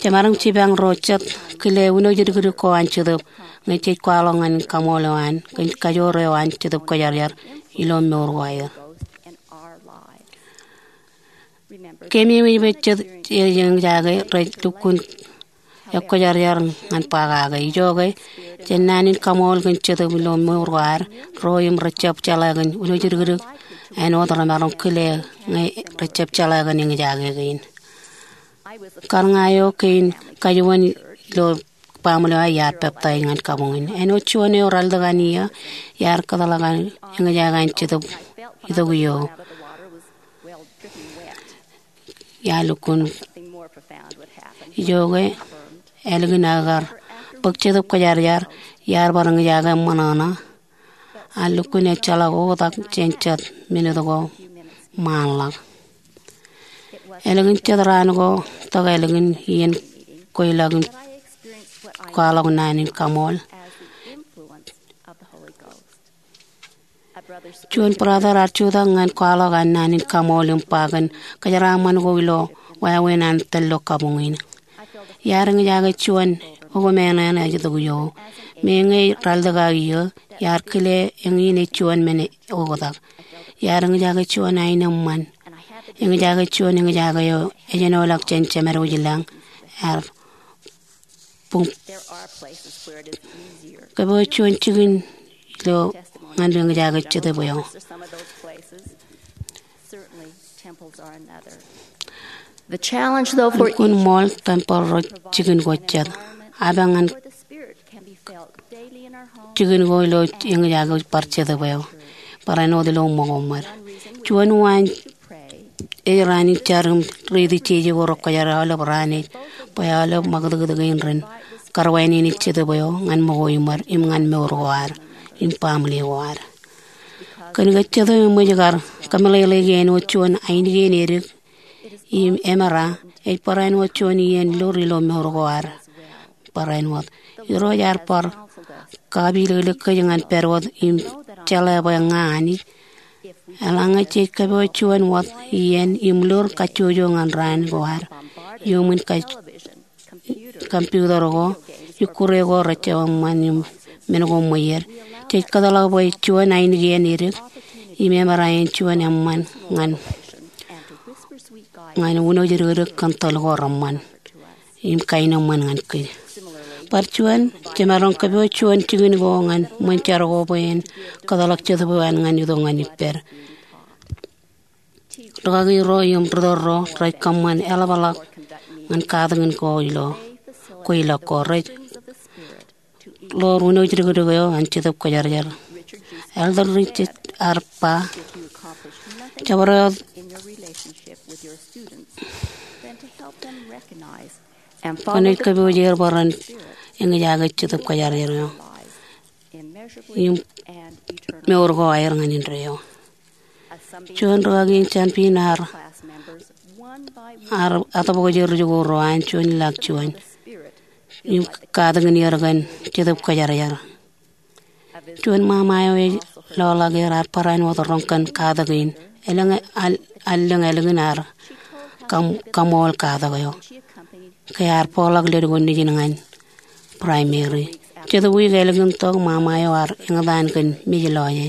Jemaroñ jipañ ro jet kile wūnooj dikdik ko an Jetōb ñe jej kwaḷọk ñan kaṃool eo an kōn kajoor eo an Jetōb Kwōjarjar ilo mour ko aer. Keememej bwe jet eo eñjake rej lukkuun ekwōjarjar ñan ba kake. Ijoke, jān naan in kaṃool kōn Jetōb ilo mour ko ad, ro im rejjab jeḷā kōn wūnooj dikdik āinwōt remaroñ kile ñe rejjab jeḷā kōn eñjake kein. Kar ña eo kein kajuon ilo baaṃle eo iar peptaij ñan kabuñ in. Āinwōt juon eo ralitōk an iiō, iar kōtḷọk an eñjake an Jetōb itok iiō. Iar lukkuun ijoke, ālikin aō kar bōk Jetōb Kwōjarjar, iar bar eñjake ṃōṇōṇō. Ak lukkuun ejjeḷọk oktak jān jet minit ko ṃaanḷọk. Ālikin jet raan ko, tok ālikin iien kweilọk in kwaḷọk naan in kaṃool. Juon brother ear jutak ñan kwaḷọk an naan in kaṃool im ba kōn kōjeraaṃṃan ko ilo wāween an tōl ilo kabuñ in. Iar eñjake juon okōmeañ eo ej itok iiō. Meñe ralitōk aō iiō, iar kile eñin ej juon men oktak. Iar eñjake juon aenōṃṃan. Eñjake juon eñjake eo ejenoḷọk jān jemed wōjlañ ear buñ. Kōpooj juon jikin ilo ñan eñjake Jetōb eo. Lukkuun ṃool, tempel ro jikin ko jet. Apañ ñan jikin ko ilo eñjake bar Jetōb eo, barāinwōt ilo ṃōko ṃōd. Juon waan ej raan in jar im riiti jeje ko rekwōjarjar aolep raan ej bwe aolep ṃakūtkūt kein ren karwānene Jetōb eo ñan ṃōko ṃōd im ñan mour ko ad im baaṃle ko ad. Kōn ke Jetōb eṃōj kar kōmeḷeḷeiki āinwōt juon ainikien edik im emera, ej barāinwōt juon iien lur ilo mour ko ad. Barāinwōt Irooj ear bar kapilōklōk kōj ñan pād wōt im jeḷā bwe ña Anij. Eḷaññe jej kōpooj juon wōt iien im lur kajjojo ñan raan ko ad iuṃwin computer ko, ikkure ko rejjab eṃṃan im men ko ṃweied, jej kōtḷọk bwe juon ainikien edik im emera en juon eṃṃan ñan wūnooj dikdik kōn tōl ko reṃṃan im kaenōṃṃan ñan kōj. Bar juon, jemaroñ kōpooj juon jikin ko ñan ṃōn jar ko bwe en kōtḷọk Jetōb eo an ñan itok ñan ippād. Rūkaki ro im ritōl ro rej kōṃṃan eḷapḷọk ñan katakin ko ilo kweilọk ko rej ḷoor wūnooj dikdik eo an Jetōb Kwōjarjar. Elder Richards ear ba, jabdewōt kwōnaaj kōpooj er bwe ren eñjake Jetōb Kwōjarjar eo im mour ko aer ñan indeeo. Juon rūkaki in Champion ear, ear atōpwōj er ri-jikuuḷ ro an juon ḷọk juon im katakin er kōn Jetōb Kwōjarjar. Juon ṃaṃa eo ej loḷọk er ear barāinwōt roñ kōn katakin. Elōñ al-, allōñ ālikin ear kaṃ-, kaṃool katak eo ke ear bōkḷọk ledik ko nejin ñan Primary. Jet wiik ālikin tok, ṃaṃa eo ear eñtaan kōn mej lọje.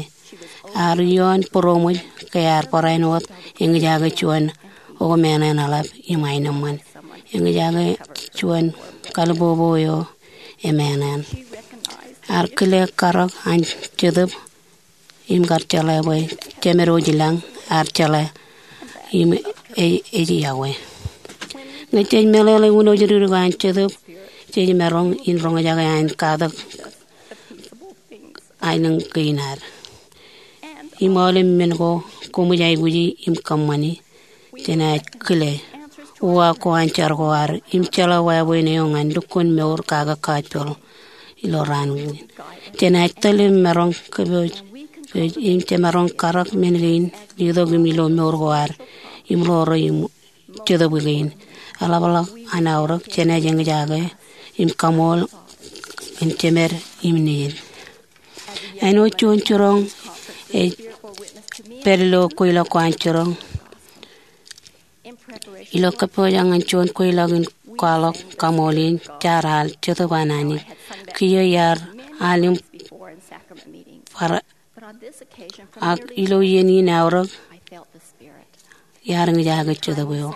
Ear ioon būroṃōj ke ear barāinwōt eñjake juon okōmeañ eḷap im aenōṃṃan. Eñjake juon kalbobo eo emeañ. Ear kile karōk an Jetōb im kar jeḷā bwe jemed wōjlañ ear jeḷā im e-, ej iọkwe. Ñe jej meḷeḷe wūnooj dikdik an Jetōb, jej maroñ in roñjake an katak aelōñ kein ad. Im aolep men ko koṃij aikuji im kōṃṃani, jenaaj kile uwaak ko an jar ko ad im jeḷā wāween eo ñan lukkuun mour kake gospel ilo raan kein. Jenaaj tōl im maroñ kōpooj, kōpooj im jemaroñ karōk men kein letok im ilo mour ko ad im ḷoor im Jetōb kein. Eḷapḷọk an aorōk jenaaj eñjake im kaṃool kōn jemed im nejid. Āinwōt juon jiroñ ej pād ilo kweilọk ko an jiroñ. Ilo kōpooj ñan juon kweilọk in kwaḷọk kaṃool in jaar al Jetōb an Anij. Kiiō iar al im bar, ak ilo iien in aorōk iar ña ijoko Jetōb eo.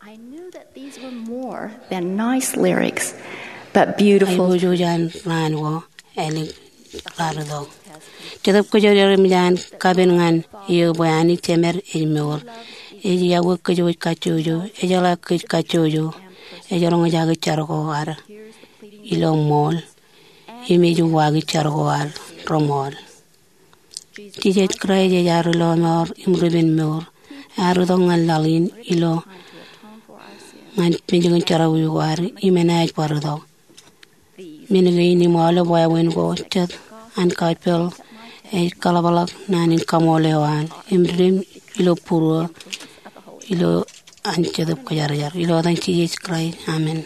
I knew that these were more than nice lyrics, but beautiful. Aiboojoj an raan ko ālikin raar itok. Jetōb Kwōjarjar eṃōj an kapen ñan eō bwe Anij Jemed ej mour. Ej yokwe kōjwōj kajjojo, ejeḷā kōj kajjojo, ej roñjake jar ko ad ilo ṃool, im ej uwaake jar ko ad reṃool. Jisōs Kraist ej ad Lọmọọr im Ripenmour. Ear itok ñan laḷ in ilo ñan penjeken jerọwiwi ko ad im enaaj bar itok. Men kein im aolep wāween ko jet an gospel ej kaḷapḷọk naan in kaṃool eo an im dim ilo būruō ilo an Jetōb Kwōjarjar. Ilo etan Jisōs Kraist, amen.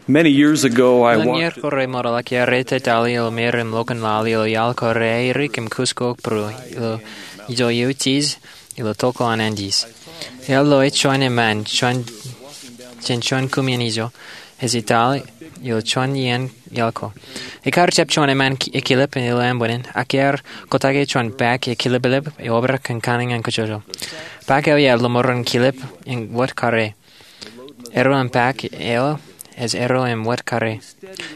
Many years ago, I Elōñ iiō kōrā ṃootḷọk iar etōtāli ilo meram ḷọkun laḷ ilo iaḷ ko reairik im kuskok būruō ilo ijo eutiej ilo tōl ko an Andes. Eḷap ḷọk juon eṃṃan jān juon koṃeañ ijo ej ettāli ilo juon iien iaḷ ko. Ekar jab juon eṃṃan ekilep ilo ānbwinnin, ak ear kōtake juon paak ekilep eo obrak kōn kanaan ñan kōjwōjwōj. Paak eo iar lọmọọren kilep im wōt kare. Erro im paak eo ej erro im wōt kare.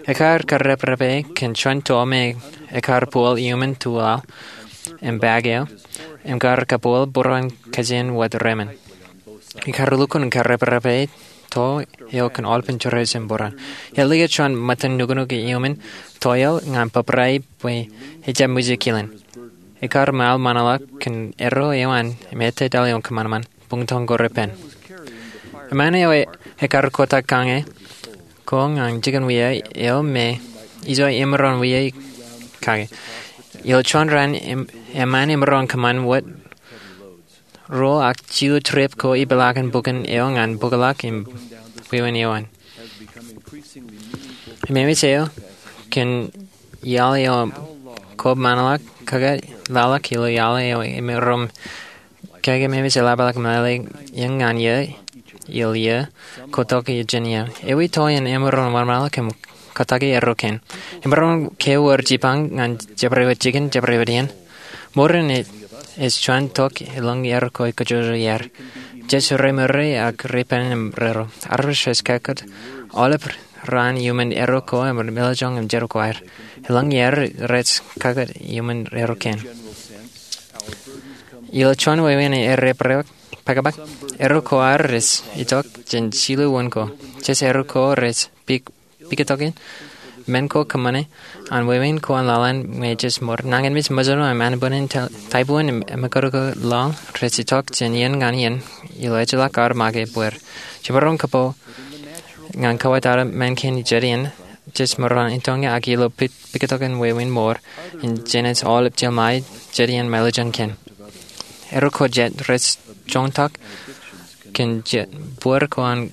Ekar kareprepe kōn juon to me ekar bōl iuṃwin tuwal im paak eo im kar kabōl būruon kajin wōt remen. Ekar lukkuun kareprepe to eo kōn aolepān jerawiwi im būruon. Ear liñe juon ṃōttan nuknuk iuṃwin to eo ñan bōbrae bwe ejab ṃōj kilen. Ekar ṃaḷ ṃōṇōḷọk kōn erro eo an im etōtāli ioon kōṃanṃan buñtōñ ko repen. Eṃṃan eo ekar kōtake kañe ko ñan jikin wia eo me ijo emaroñ wia kake. Ilo juon raan eṃṃan emaroñ kōṃṃan wōt ruo ak jilu trip ko ipeḷaakin bukin eo ñan bōkḷọk im wāween eo an. Im emej eo kōn iaḷ eo kab ṃōṇōḷọk kōkā laḷọk ilo iaḷ eo emaroñ kōkā im emej eḷapḷọk meḷeḷe iien ñan iien ilo iien ko tok jān iien. Ewi to in emaroñ wōnṃaanḷọk im kōtake erro kein? Emaroñ kewōr jipañ ñan jabdewōt jikin jabdewōt iien. Mour in ej juon tok elōñ erro ko kōjwōjwōj iaer. Jej remour ak repen im rerro. Armej rej kakūt aolep raan iuṃwin erro ko im meḷọkjeṇ im jerọwiwi ko aer. Elōñ iaer rej kakūt iuṃwin erro kein. Ilo juon wāween erro pākpāktok, erro ko aer rej itok jān jilu wūn ko. Jej erro ko rej pik pikotokin men ko kōṃṃane an wāween ko an laḷ in me jej mour. Nañinmej mejān eo im ānbwinnin, taibuon im emkōto ko laḷ rej itok jān iien ñan iien ilo ejjeḷọk ar make bwed. Jemaroñ kōpooḷ ñan kawōtata men kein jet iien jej maroñ in tōñā ak ilo pikotokin wāween mour in jenaaj aolep jeḷā jet iien meḷọkjeṇ kein. Erro ko jet rej joñtak kōn jet bōd ko an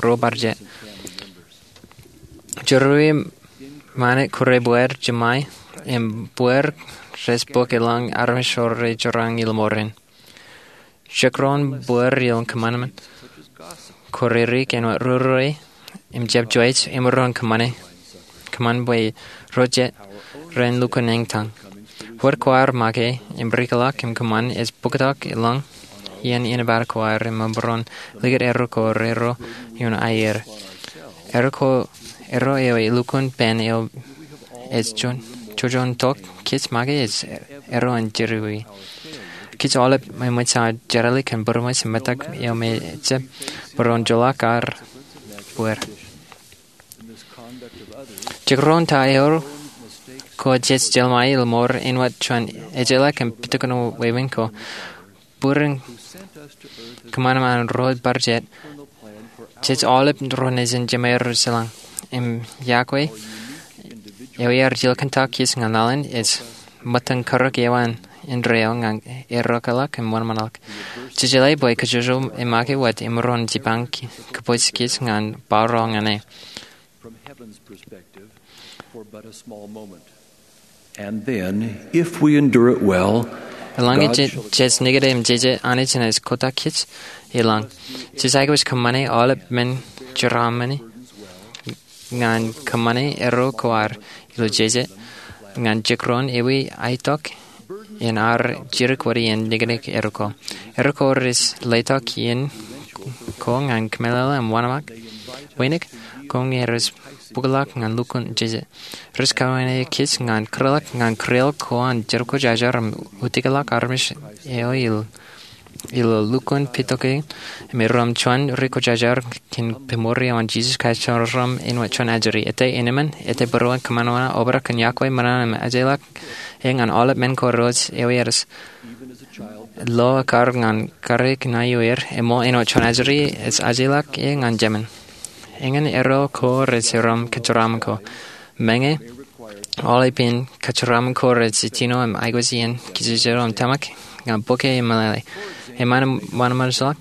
ro bar jet. Jerọwiwi ṃanit kōrā bōd jeṃae im bōd rej bōk elōñ armej ro rej jorrāān ilo mour in. Jekdọọn bōd ilo kōṃanṃan ko ririk āinwōt rūrūrei im jab juwaij emaroñ kōṃṃane, kōṃṃan bwe ro jet ren lukkuun eñtaan. Wōt kwaar make im rikḷọk im kōṃṃan ej bōktok elōñ iien inepata ko aer im emaroñ likūt erro ko rerro ioon aier. Erro ko, erro eo elukkuun pen eo ej juon, juon tok kōj make ej erro in jerọwiwi. Kōj aolep eṃōj aō jeḷā kōn būroṃōj im metak eo me ejjab maroñ joḷọk ar bōd. Jekdọọn ta eo ko jej jeḷā ilo mour āinwōt juon ejjeḷọk im pitokin wāween ko. Bōd in kōṃanṃan ro bar jet. Jej aolep ro nejin jemāer ro jeḷā. Im yokwe eo iar jilkintok kōj ñan laḷ in ej ṃōttan karōk eo an indeeo ñan errọkḷọk im wōnṃaanḷọk. Jejeḷā bwe kōjwōjwōm e make wōt imaroñ jipañ kōpooj kōj ñan bar ro ñan e. And then, if we endure it well, Eḷaññe jej nikūti im jeje, Anij enaaj kotak kōj. Eḷaññe jej aikuj kōṃṃane aolep men jeraaṃṃan ñan kōṃṃane erro ko ad ilo jeje ñan jekdọọn ewi aetok in ad jidik wōt iien niknik erro ko. Erro ko rej letok iien ko ñan kōmeḷeḷe im wōnṃaanḷọk. Wānōk ko ñe rej bōkḷọk ñan lukkuun jeje. Rej kawānōk kōj ñan kūrḷọk ñan kūrreoḷ ko an Jericho Jajor im utiklọk armej eo ilo lukkuun pitoke im erom juon ri kwōjarjar kōn peṃool eo an Jesus Christ, Jemām eo āinwōt Juon Ajri. Ete eṇ emān, ete būruon kōṃanṃan, obrak kōn yokwe, ṃōṇōṇō im ajeḷọk ñan aolep men ko rej ewi etan lo ekkar ñan kariik ṇae eo er, eṃool āinwōt Juon Ajri ej ajeḷọk ñan jemān. Eñin erro ko rej erom kōjeraaṃṃan ko. Meñe aolep iien kōjeraaṃṃan ko rej jino im aikuj iien kōjejjet eo im tōmak ñan bōke im meḷeḷe. Eṃṃan im wōnṃaanḷọk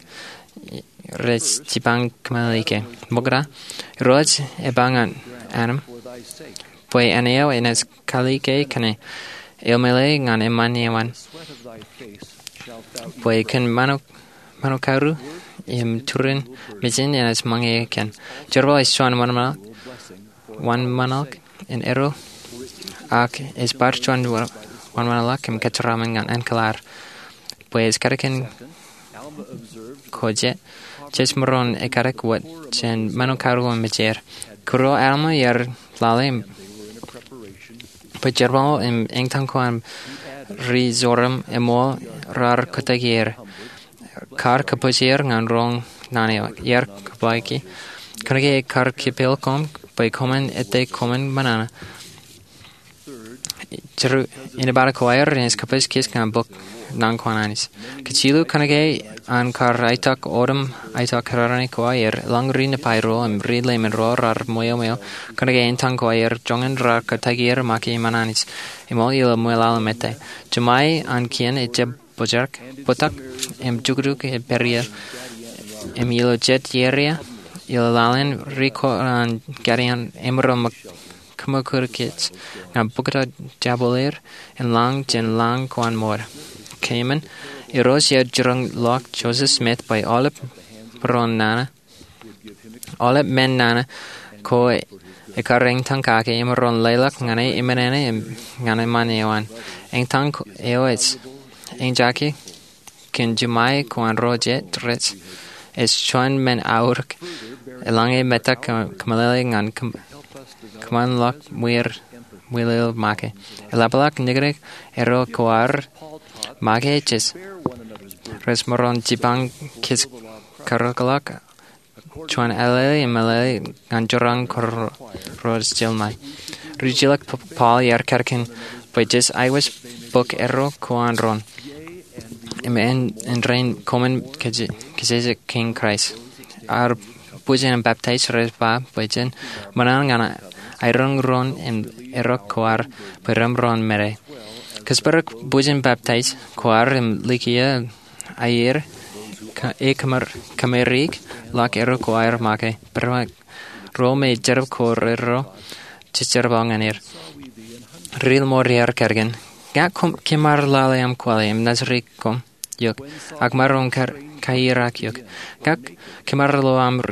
rej jipañ kōmeḷeḷeik. Ṃokta, Irooj epañ ñan Adam bwe āne eo enaaj kalike kōn e. Eṃṃan ñan eṃṃan eo an bwe kōn ṃanukaaru im turin mejān enaaj ṃōñā kōn. Jerbal ej juon wōnṃaanḷọk in erro, ak ej bar juon wōnṃaanḷọk im kōjeraaṃṃan ñan enkōḷaar bwe ej kadkōn ko jet. Jej maroñ in kadek wōt jān ṃanukaaru im mejeir. Kūrro Alma ear lale bwe jerbal im eñtaan ko an ri-sorom eṃool raar kōtōkier. Kar kōpoojeir ñan roñ naan eo. Ear kōpaaki, kōnke ekar kipel koṃ bwe koṃwin ete koṃwin ṃōṇōṇō. Inepata ko aer enaaj kōpooj kōj ñan bōk naan ko an Anij. Kajilu, kōnke an kar aetak otem aetak kōrā ko aer, eḷaññe ri-Nifai ro im ri-Leiman ro raar ṃweo ṃweo kōnke eñtaan ko aer, joñan raar kōtōkier make iṃaan Anij. Eṃool ilo ṃwilaḷ im ete, Jemāe an kien ejjab bōjrak, bōktok im jukjuk ej pād ie. Im ilo jet iiō eo, ilo laḷ in, ri-koṇaan Gideon emaroñ kōṃakūtkōj ñan bōktok jabōḷ er in lañ jān lañ ko an ṃool. Kōṃṃan, Irooj ear jiroñ ḷọk Joseph Smith bwe aolep ro nana Aolep men nana ko ekkar eñtaan kake emaroñ leḷọk ñan e eṃṃan ñan eṃṃan eo an. Eñtaan eo ej eñjake kōn jiṃṃae ko an ro jet rej. Ej juon men aorōk eḷaññe metak kōmeḷeḷe ñan kōṃṃanḷọk ṃwilaḷ make. Eḷapḷọk niknik erro ko ad make rej maroñ jipañ kōj karōkḷọk juon ālele im meḷeḷe ñan jeraṃ ko rej jeḷā ṃae. Ri-jilōk Paul ear kadkōn bwe jej aikuj bōk erro ko an roñ im āindein koṃwin kōjejjet kōn Kraist. Ad bwijin baptaij rej ba bwe jen ṃōṇōṇō ñan aeroñ roñ im erro ko ad bwe remaroñ ṃōde. Kōjparok bwijin baptaij ko ad im likiō aier e kōmāriik ḷọk erro ko aer make. Ro me jab ko erro jejjerbal ñan er. Ri-Ṃool ear kadkōn, ña kōm kōmar lale aṃ kwale im naaj riik koṃ eok, ak maroñ kaier eok. Ña kōmar lo aṃ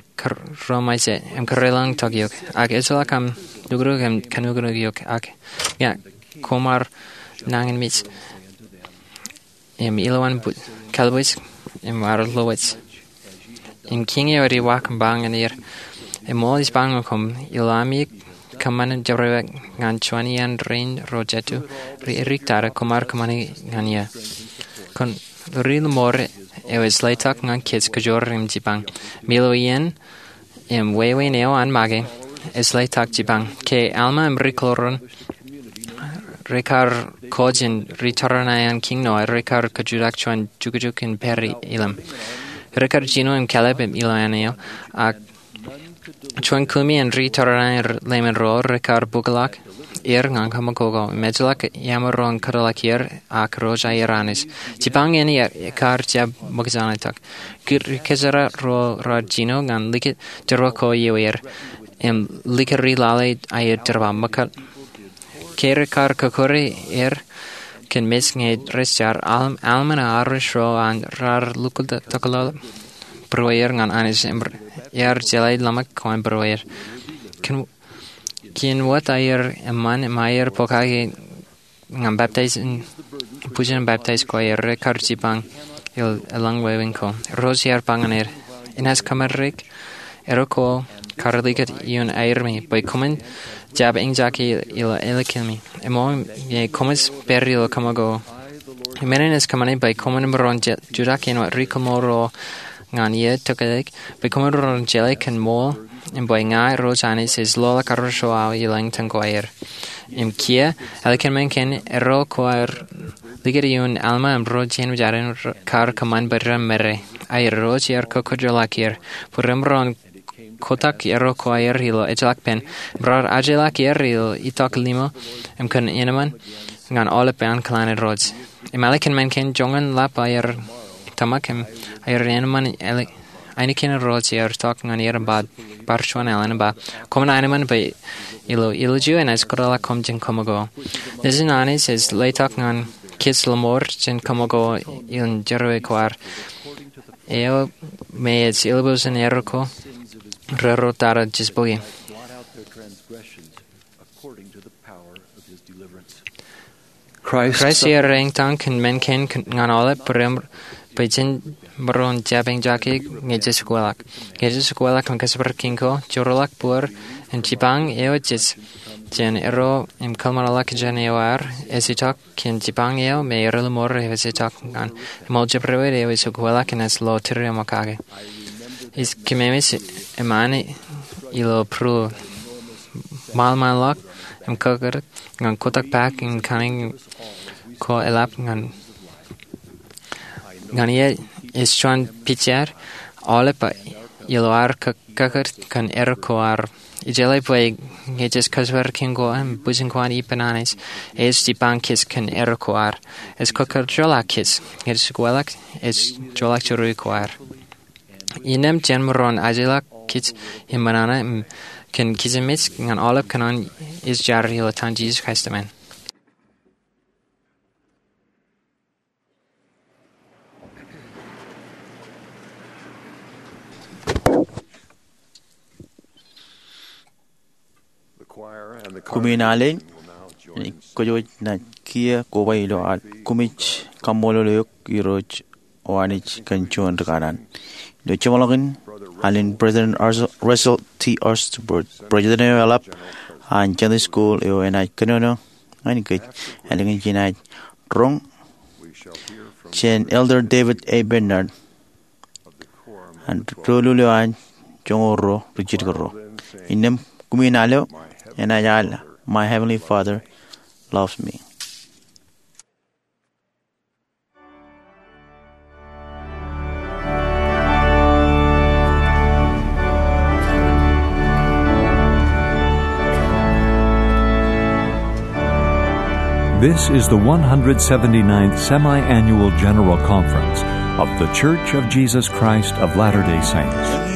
ro ṃae jet im kōrā lañ tok eok, ak ejjeḷọk aṃ nuknuk im kanuknuk eok, ak ña kōmar nañinmej im ilowaan kalbuuj im ad lowōj. Im kiiñ eo ej iwak im ba ñan er, eṃool ij ba ñan koṃ, ilo ami kōṃṃan jabdewōt ñan juon iaan rein ro jet eo, ri-Grik tata, koṃar kōṃṃane ñan eō. Kōn Ri-Ṃool eo ej letok ñan kōj kajoor im jipañ. Im ilo iien im wāween eo an make, ej letok jipañ. Ke Alma im ri-Kōlōran rekar kōj in ri-tōre ṇae an Kiiñ Noa, rekar kajutak juon jukjuk in pād ilōñ. Rekar jino im kālōt im ilo āne eo, ak Juon kumi in ri tōre in ḷeeṃ in ro rekar bōkḷọk er ñan kaṃakoko im ejjeḷọk iamaroñ kōtḷọk er, ak Irooj aer Anij. Jipañ in ekar jab ṃōkaj an itok. Kōjeraṃ ro raar jino ñan likūt jerọwiwi ko ioer im likūri lale aer jerbal ṃōkaj. Ke rekar kōkure er kōn mej ñe rej jar, al-, almān eo arro ro an raar lukkuun tokḷọk būrueir ñan Anij im ear jeḷā ḷōmṇak ko an būrueir. Kien, kien wōt aer eṃṃan im aer pokake ñan baptais in, bwijin baptais ko aer, rekar jipañ el, eḷaññe wāween ko. Irooj ear ba ñan er, Enaaj kōmārik erro ko kar likūt ioon aermi bwe koṃwin jab eñjake ilo ālikimi. Eṃṃan, ñe koṃij pād ilo kaṃakoko. Im men in ej kōṃṃane bwe koṃwin maroñ jutak āinwōt ri kōmool ro ñan iien tokālik, bwe koṃwin maroñ jeḷā kōn ṃool, im bwe ña Irooj Anij ej loḷọk arro ro aō i lañtōñ ko aer. Im kiiō, ālikin men kein, erro ko aer likūt ioon Alma im ro jān ṃōjin kar kōṃṃan bwe ren mare. Ak Irooj ear kōkōjjeḷọk er bwe remaroñ kotak erro ko aer ilo ejjeḷọk pen, im raar ajjeḷọk er ilo itok limo, im kōn eṇ eṃṃan ñan aolep an kōḷan Irooj. Im ālikin men kein, joñan ḷap aer tōmak im aer eṇ eṃṃan, ainikien Irooj ear itok ñan er im ba, bar juon alen im ba, Koṃ eṇ eṃṃan bwe ilo ilju enaaj kōtḷọk koṃ jān kaṃakoko. Nejin Anij ej letok ñan kōj ḷōṃaro jān kaṃakoko in jerọwiwi ko ad. Eo me ej eḷap eo jān erro ko raar tōre jispoki. Kraist ear eñtaan kōn men kein ñan aolep bwe ren, bwe jen maroñ jab eñjake ñe jej kweilọk. Ñe jej kweilọk im kōjparok kiiñ ko, joorḷọk būor im jipañ eo jej jān erro im kōḷmānḷọk jān eo ad, ej itok kōn jipañ eo me erro ḷōṃaro ej itok ñan, im aolep ro eo ej kweilọk enaaj lo tūriaṃo kake. Ij kememej eṃṃan ilo būruō, ṃaanḷọk im kōkōrā ñan kotak paak in kaṇe ko eḷap ñan, ñan iien ej juon pijak aolep ilo ad kō-, kōkōrā kōn erro ko ad. Ij jeḷā bwe ñe jej kōjparok kiiñ ko im bwijin ko an ippān Anij, ej jipañ kōj kōn erro ko ad. Ej kōkōjjeḷọk kōj. Ñe jej kweilọk, ej joorḷọk jerọwiwi ko ad. Innām jen maroñ ajjeḷọk kōj im ṃōṇōṇō im kōn kōjmej ñan aolep kōṇaan ej jar ilo etan Jisōs Kraist, amen. Kumi in alen, kōjwōj naaj kiiō koba ilo ad kōmij kaṃṃoolol eok Irooj O Anij kōn juon ri kanaan. Ilo jeṃḷọkin alen President Ars-, Russell T. Osterberg, President eo eḷap an Sunday School eo enaaj kōnono ñan kōj, ālikin jenaaj roñ jān Elder David A. Bednar an doulul eo an joñoul ruo ri jidik ruo. Innām kumi in al eo, enaaj al My Heavenly Father Loves Me. This is the one hundred seventy-ninth Semi-Annual General Conference of The Church of Jesus Christ of Latter-day Saints.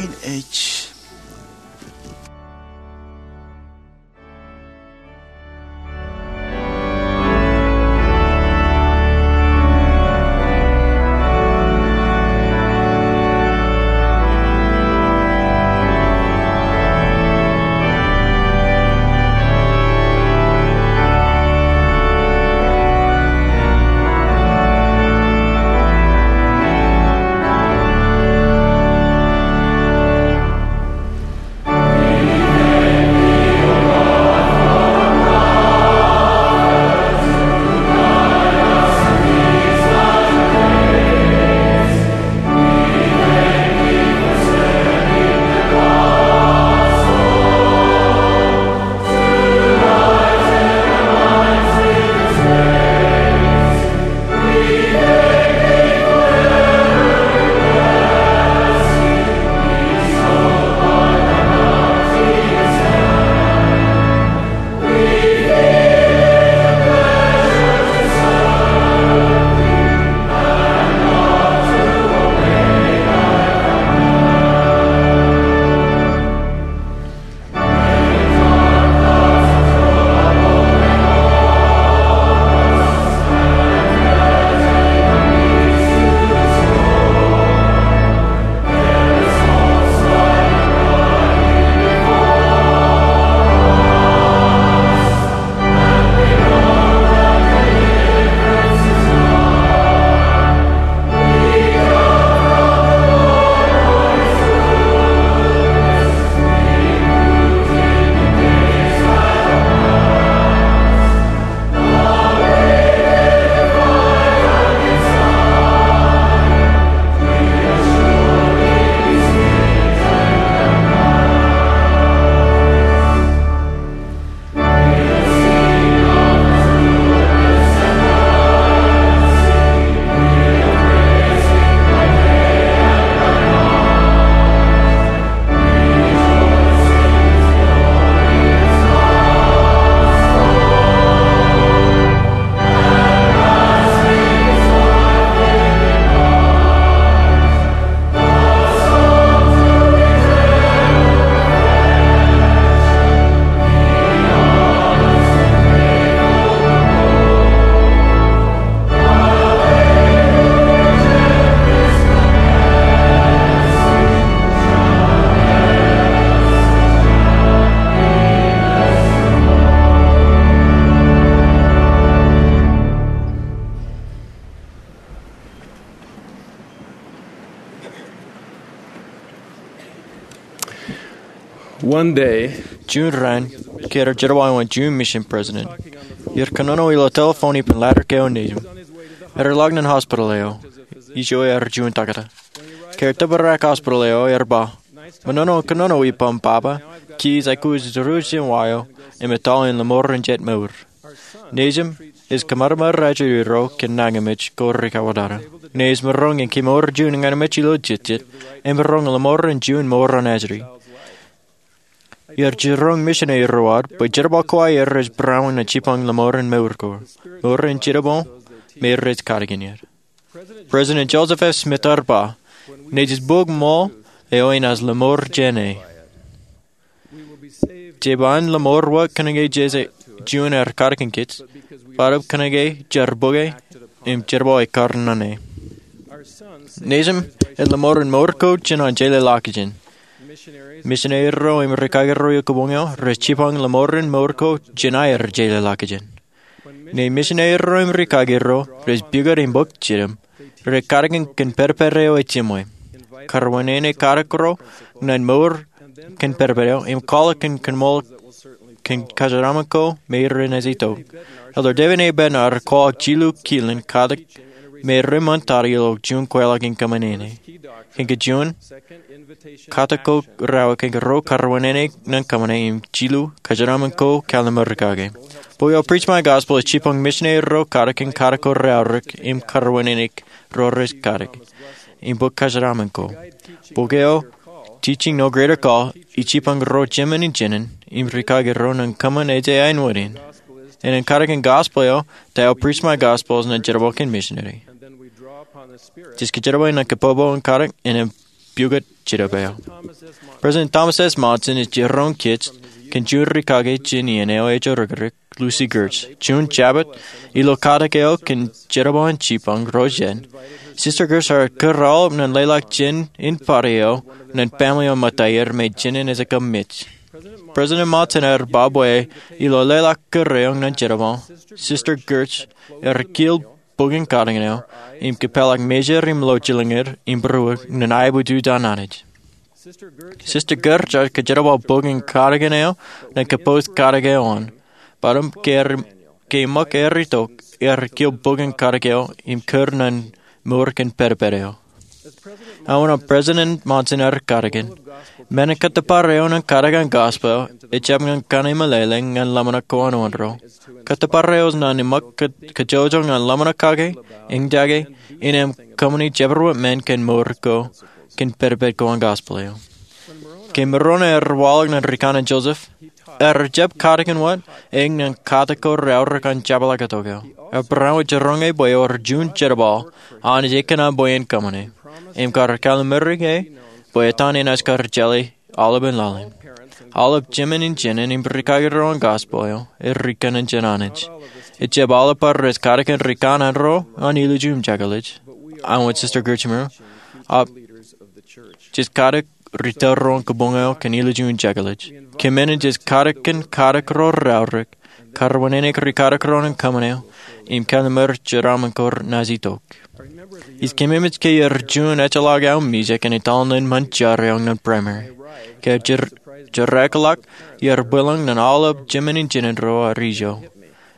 Juun raan, ke ear jerbal wōt juon mission president, ear kōnono ilo telephone ippān ladder ko nejūṃ. Ear ḷọk ñan hospital eo, ijo ear juon taktō. Ke ear tōprak hospital eo, ear ba, "Ṃōṇōṇō kōnono ippaṃ, Papa. Kij aikuj ruj jān wa eo im etal in lọmọọren jet mour. Nejūṃ ej kōmāmāer ajri ro kōn nañinmej ko rikautata. Ṇe ej maroñ in kemour juon ñan mej ilo jetjet im maroñ lọmọọren juon mour an ajri." Ear jiroñ missionary ro ad bwe jerbal ko aer ej būruon ñan jibboñ lọmọọren mour ko, mour in jitōbōḷ, im rej katakin er. President Joseph F. Smith ear ba, "Nejūṃ bōk ṃool eo inaaj lọmọọr jāne. Jebwin lọmọọr wōt kōnke jej juon aer katakin kōj, bōtaab kōnke jaar bōke im jerbal ekkar ñane." Nejūṃ ej lọmọọren mour ko jān an jeḷāḷọkjeṇ. Missionary ro im rikaki ro ilo kabuñ eo rej jibboñ lọmọọren mour ko jān aer jeḷāḷọkjeṇ. Ṇe missionary ro im rikaki ro rej pukot im bōk jidim, rej katakin kōn pedped eo ej jiṃwe, karwinene katak ro ñan mour kōn pedped eo, im kwaḷọk kōn kōṃṃool kōn kōjeraaṃṃan ko me ren ej itok. Elder David A. Bednar ear kwaḷọk jilu kilin katak me reṃṃan tata ilo juon kweilọk in kōṃṃane. Kōn kajuon, katak ko raorōk kōn ro karwinene ñan kōṃṃane, im jilu, kōjeraaṃṃan ko kallim̧ur kake. Bok eo Preach My Gospel ej jibboñ missionary ro katak kōn katak ko raorōk im karwinene ro rej katak im bōk kōjeraaṃṃan ko. Bok eo Teaching No Greater Call ej jibboñ ro jemān in jinen im rikaki ro ñan kōṃṃan ej aenwōt in. Innem katakin gospel eo, ta eo Preach My Gospel ñan jerbal kōn missionary. Jej kōjerbale ñan kōpopo in katak innem pukot Jetōb eo. President Thomas S. Monson ej jiroñ kōj kōn juon rikaki jān iien eo ej ijorikirik, Lucy Gertsch. Juon Jabōt, ilo katak eo kōn jerbal in jibboñ ro jet, Sister Gertsch ear kūr aolep ñan leḷọk jān in pād eo ñan family eo ṃōttaer me jinen ej kab mej. President Monson ear ba bwe ilo leḷọk kūr eo ñan jerbal, Sister Gertsch ear kil bok in katakin eo im kōpeḷḷọk mejād im ḷọk jilñier im būruō ñan aebujaj an Anij. Sister Gertsch ear kōjerbal bok in katakin eo ñan kōpooj katak eo an. Bōtaab ke ear, ke eṃōk aer itok, ear kil bok in katak eo im kūr ñan mour kōn pedped eo. Āinwōt President Monson ear katakin, men in kōttōpar eo ñan katak an gospel ejjab ñan kaṇe meḷeḷe ñan ḷōmṇak ko an onro. Kōttōpar eo ej ñan eṃōk kō-, kōjojol ñan ḷōmṇak kake, eñjake, innem kōṃṃani jabdewōt men kōn mour ko, kōn pedped ko an gospel eo. Ke Moroni ear waḷọk ñan rikaṇe Joseph, ear jab katakin wōt, eñin katak ko raorōk an jabḷọk itok eo. Ear barāinwōt jiroñ e bwe ewōr juon jerbal, an ej kōṇaan bwe en kōṃṃane. Im kar kalliṃur e bwe etan enaaj kar jeḷā aolepān laḷ in. Aolep jemān in jinen im rikaki ro an gospel eo, ej ri kōṇaan jān Anij. Ejjab aolep bar rej katakin ri kanaan ro an ilju im jekḷaj, āinwōt Sister Gertsch im ro, ak jej katak ri tōl ro an kabuñ eo kōn ilju im jekḷaj. Kōmān jej katak kōn katak ro raorōk, karwinene ri katak ro ñan kōṃṃane, im kalliṃur jeraaṃṃan ko naaj itok. Ij kōmemej ke ear juon ejjeḷọk aō mijak in etal ṇe ṃōn jar eo ñan primary. Ke jer-, jerrakḷọk, ear bwilōñ ñan aolep jemān in jinen ro aō ijo.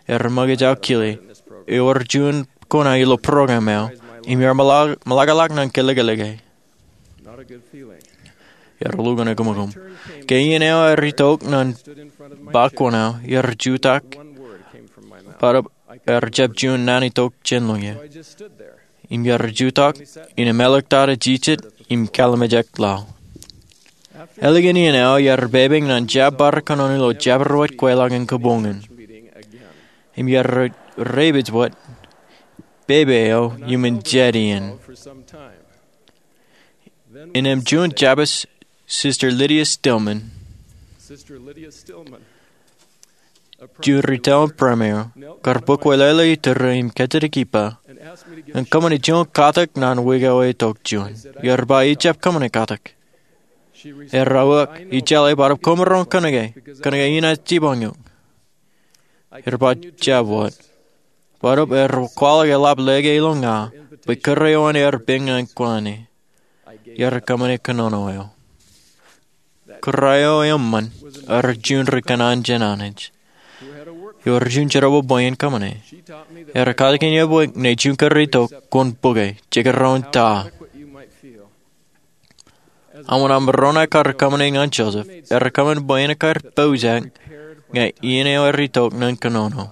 Ear ṃōkaj aō kile, ewōr juon kōṇaan ilo program eo, im ear ṃōḷa-, ṃōḷaḷọk ñan kōlōkōlōke. Ear lukkuun ekōṃakōṃ. Ke iien eo ear itok ñan ba kōṇaan, ear jutak, bōtaab ear jab juon naan itok jān lōñ e. Im ear jutak, innem eḷak tata jijet, im kallimjek laḷ. Ālikin iien eo ear pepe ñan jab bar kōnono ilo jabdewōt kweilọk in kabuñ in. Im ear re-, repeat wōt, pepe eo iuṃwin jet iien. Innem juon jabōt Sister Lydia Stillman, juon ri tōl in primary, kar bōk wōtlọk ilo iturū im kajjitōk ippa, im kōṃṃane juon katak ñan wiik eo ej itok juon. Ear ba ijjab kōṃṃane katak. Ear uwaak, ij jeḷā, bōtaab koṃ maroñ kōnke, kōnke inaaj jibboñ eok. Ear ba jab wōt. Bōtaab ear kwaḷọk eḷap lōke ilo ña, bwe kūr eo an ear piñ ñan kōṇaan e. Ear kōṃṃane kōnono eo. Kōrā eo eṃṃan ear juon ri kōṇaan jān Anij. Ewōr juon jerbal bwe in kōṃṃane. Ear katakin eō bwe ñe juon kōrā itok, kwōn bōke, jekdọọn ta. Aṃ wōt aṃ maroñ kar kōṃṃane ñan Joseph, ear kōṃṃan bwe en kar poujak ñe iien eo ear itok ñan kōnono.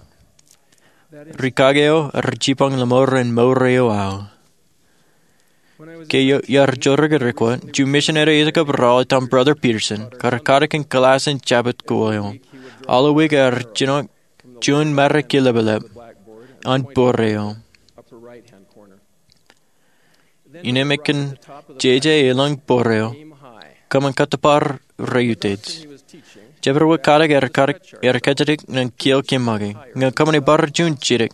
Rikaki eo ear jipañ lọmọọren mour eo aō. Ke iar jorrāān ri-kwe, juon misineri ej kab raar etal Brother Peterson kar katakin kilaaj in Jabōt ko eo. Aolep wiik ear jino juon mare kilepḷep an bōd eo. Innām ekōn jeje elōñ bōd eo, kōṃṃan kōttōpar reutiej. Jabōt wōt katak ear kōjatdikdik ñan kiiō kōmake ñan kōṃṃane bar juon jidik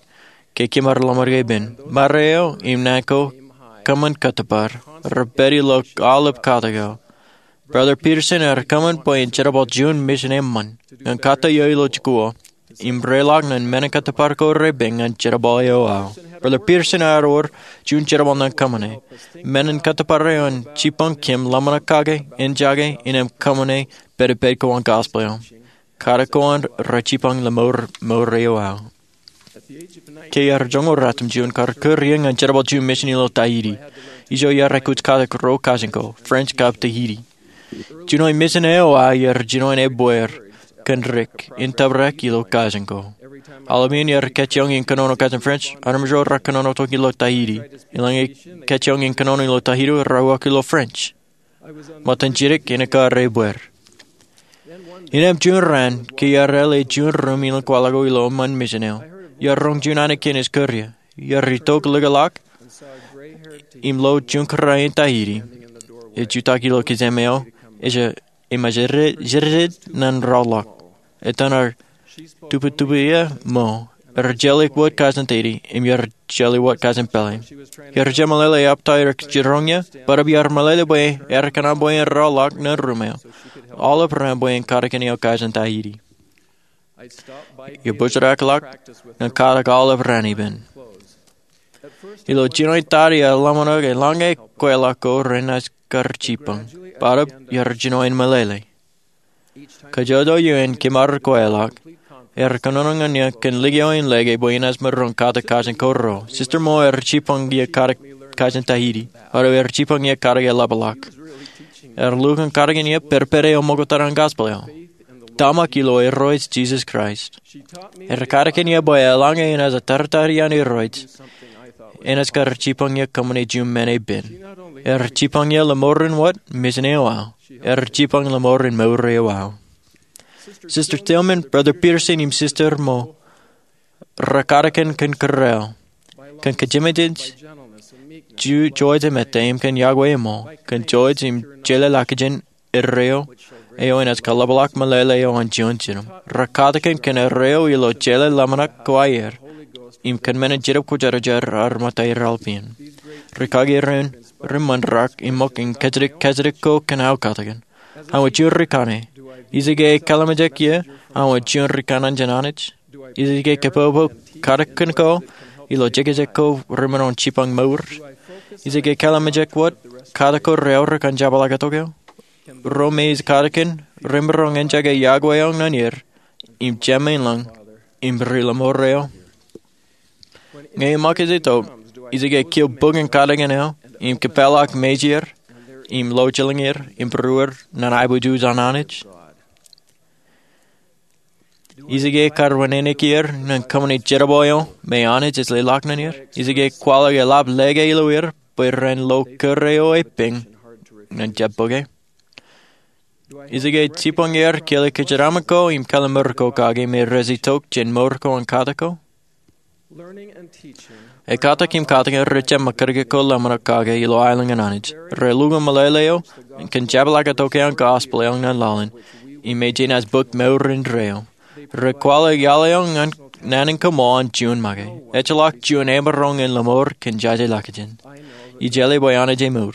ke kōmar lọmọọr ke ippān. Mare eo im naan ko kōṃṃan kōttōpar, rej pād ilo aolep katak eo. Brother Peterson ear kōṃṃan bwe en jerbal juon misin eṃṃan ñan katak eo ilo jikuuḷ im reḷọk ñan men in kōttōpar ko repen ñan jerbal eo aō. Brother Peterson ear wōr juon jerbal ñan kōṃṃane. Men in kōttōpar eo en jipañ kōm ḷōmṇak kake, enjake, innām kōṃṃane pedped ko an gospel eo. Katak ko an rej jipañ lọmọọr mour eo aō. Ke iar joñoul ratimjuon, kar kūr iien ñan jerbal juon misin ilo Tahiti. Ijo iar aikuj katak ruo kajin ko, French kab Tahiti. Jino eo misin eo aō iar jino en ebbeer kōn dik in tōprak ilo kajin ko. Aolep iien iar kajjioñ in kōnono kajin French, armej ro rekōnono tok ilo Tahiti. Eḷaññe kajjioñ in kōnono ilo Tahiti, raar uwaak ilo French. Ṃōttan jidik en kar ebbeer. Innām juon raan, ke iar āle juon ruum in kwaḷọk ko ilo eṃṃan misin eo, iar roñ juon āne kein ej kūr ie. Iar itok likūtḷọk im lo juon kōrā in Tahiti ej jutak ilo kijem eo, ej ṃōjjitōk ñan rọọlḷọk. Etan ear tuputuput ie ṃōo, ear jeḷā wōt kajin Tahiti im ear jeḷā wōt kajin pālle. Iar jemeḷeḷe epta ear jiroñ ie, bōtab iar meḷeḷe bwe ear kōṇaan bwe en rọọlḷọk ñan ruum eo aolep raan bwe en katakin eo kajin Tahiti. Ibuñjake ḷọk ñan katak aolep raan ippān. Ilo jinoin tata iar ḷōmṇak eḷaññe kweilọk ko renaaj kar jipañ, bōtab iar jino en meḷeḷe. Kajjojo iien kōmar kweilọk, ear kōnono ñan ie kōn likio in lōke bwe enaaj maroñ katak kajin ko ruo. Sister Moore ear jipañ ie katak kajin Tahiti, bōtab ear jipañ ie katak eḷapḷọk. Ear lukkuun katakin ie pedped eo ṃokta an gospel eo, tōmak ilo Irooj Jisōs Kraist. Ear katakin ie bwe eḷaññe enaaj attōrtōr iaan Irooj, enaaj kar jipañ ie kōṃṃane juon men epen. Ear jipañ ie lọmọọren wōt misin eo aō. Ear jipañ lọmọọren mour eo aō. Sister Tilghman, Brother Peterson im Sister Moore rekatakin kōn kōrā eo, kōn kōjememej, juon jemān, im kōn yokwe ṃōk, kōn jouj im jeḷā ḷọkjeṇ erreo eo enaaj kaḷapḷọk meḷeḷe eo an juon jinem. Rekatakin kōn erreo ilo jeḷā ḷōmṇak ko aer im kōn men in Jetōb Kwōjarjar ear ṃōtta er aolep iien. Rikaki rein, ri ṃōn rak im ṃōk in kajjitōk kajjitōk ko kōn aō katakin. Aō juon ri kōṇaan, ij ikōṇaan kōḷmānjeḷ ie aō juon ri kōṇaan jān Anij? Ij ikōṇaan kōpopo katakin ko ilo jekjek ko remaroñ jipañ mour? Ij ikōṇaan kōḷmānjeḷ wōt katak ko reaorōk an jepḷaaktok eo? Ro me ij katakin remaroñ enjake yokwe eo ñan er im Jemem ilañ im ri lọmọọr eo? Ñe eṃōkaj itok, ij ikōṇaan kiiō bōk in katakin eo im kōpeḷḷọk mejāer im lọjilñāer im būruer ñan aiboojoj an Anij? Ij ikōṇaan kar wūnin er ñan kōṃṃane jerbal eo me Anij ej leḷọk ñan er? Ij ikōṇaan kwaḷọk eḷap lōke ilo er bwe ren lo kōrā eo epen ñan jab bōke? Ij ikōṇaan jipañ er kile kōjeraṃṃan ko im kile mour ko kake me rej itok jān mour ko an katak ko? Ekkatak im katakin rej jab ṃakūtkūt ko ḷōmṇak kake ilo aelōñ an Anij. Rej lukkuun meḷeḷe eo kōn jepḷaaktok eo an gospel eo ñan laḷ in, im ej jenaaj bōk mour indeeo. Rej kwaḷọk iaḷ eo ñan naan in kaṃool an juon make. Ejjeḷọk juon emaroñ in lọmọọr kōn jaje ḷọkjeṇ. Ij jeḷā bwe Anij emour.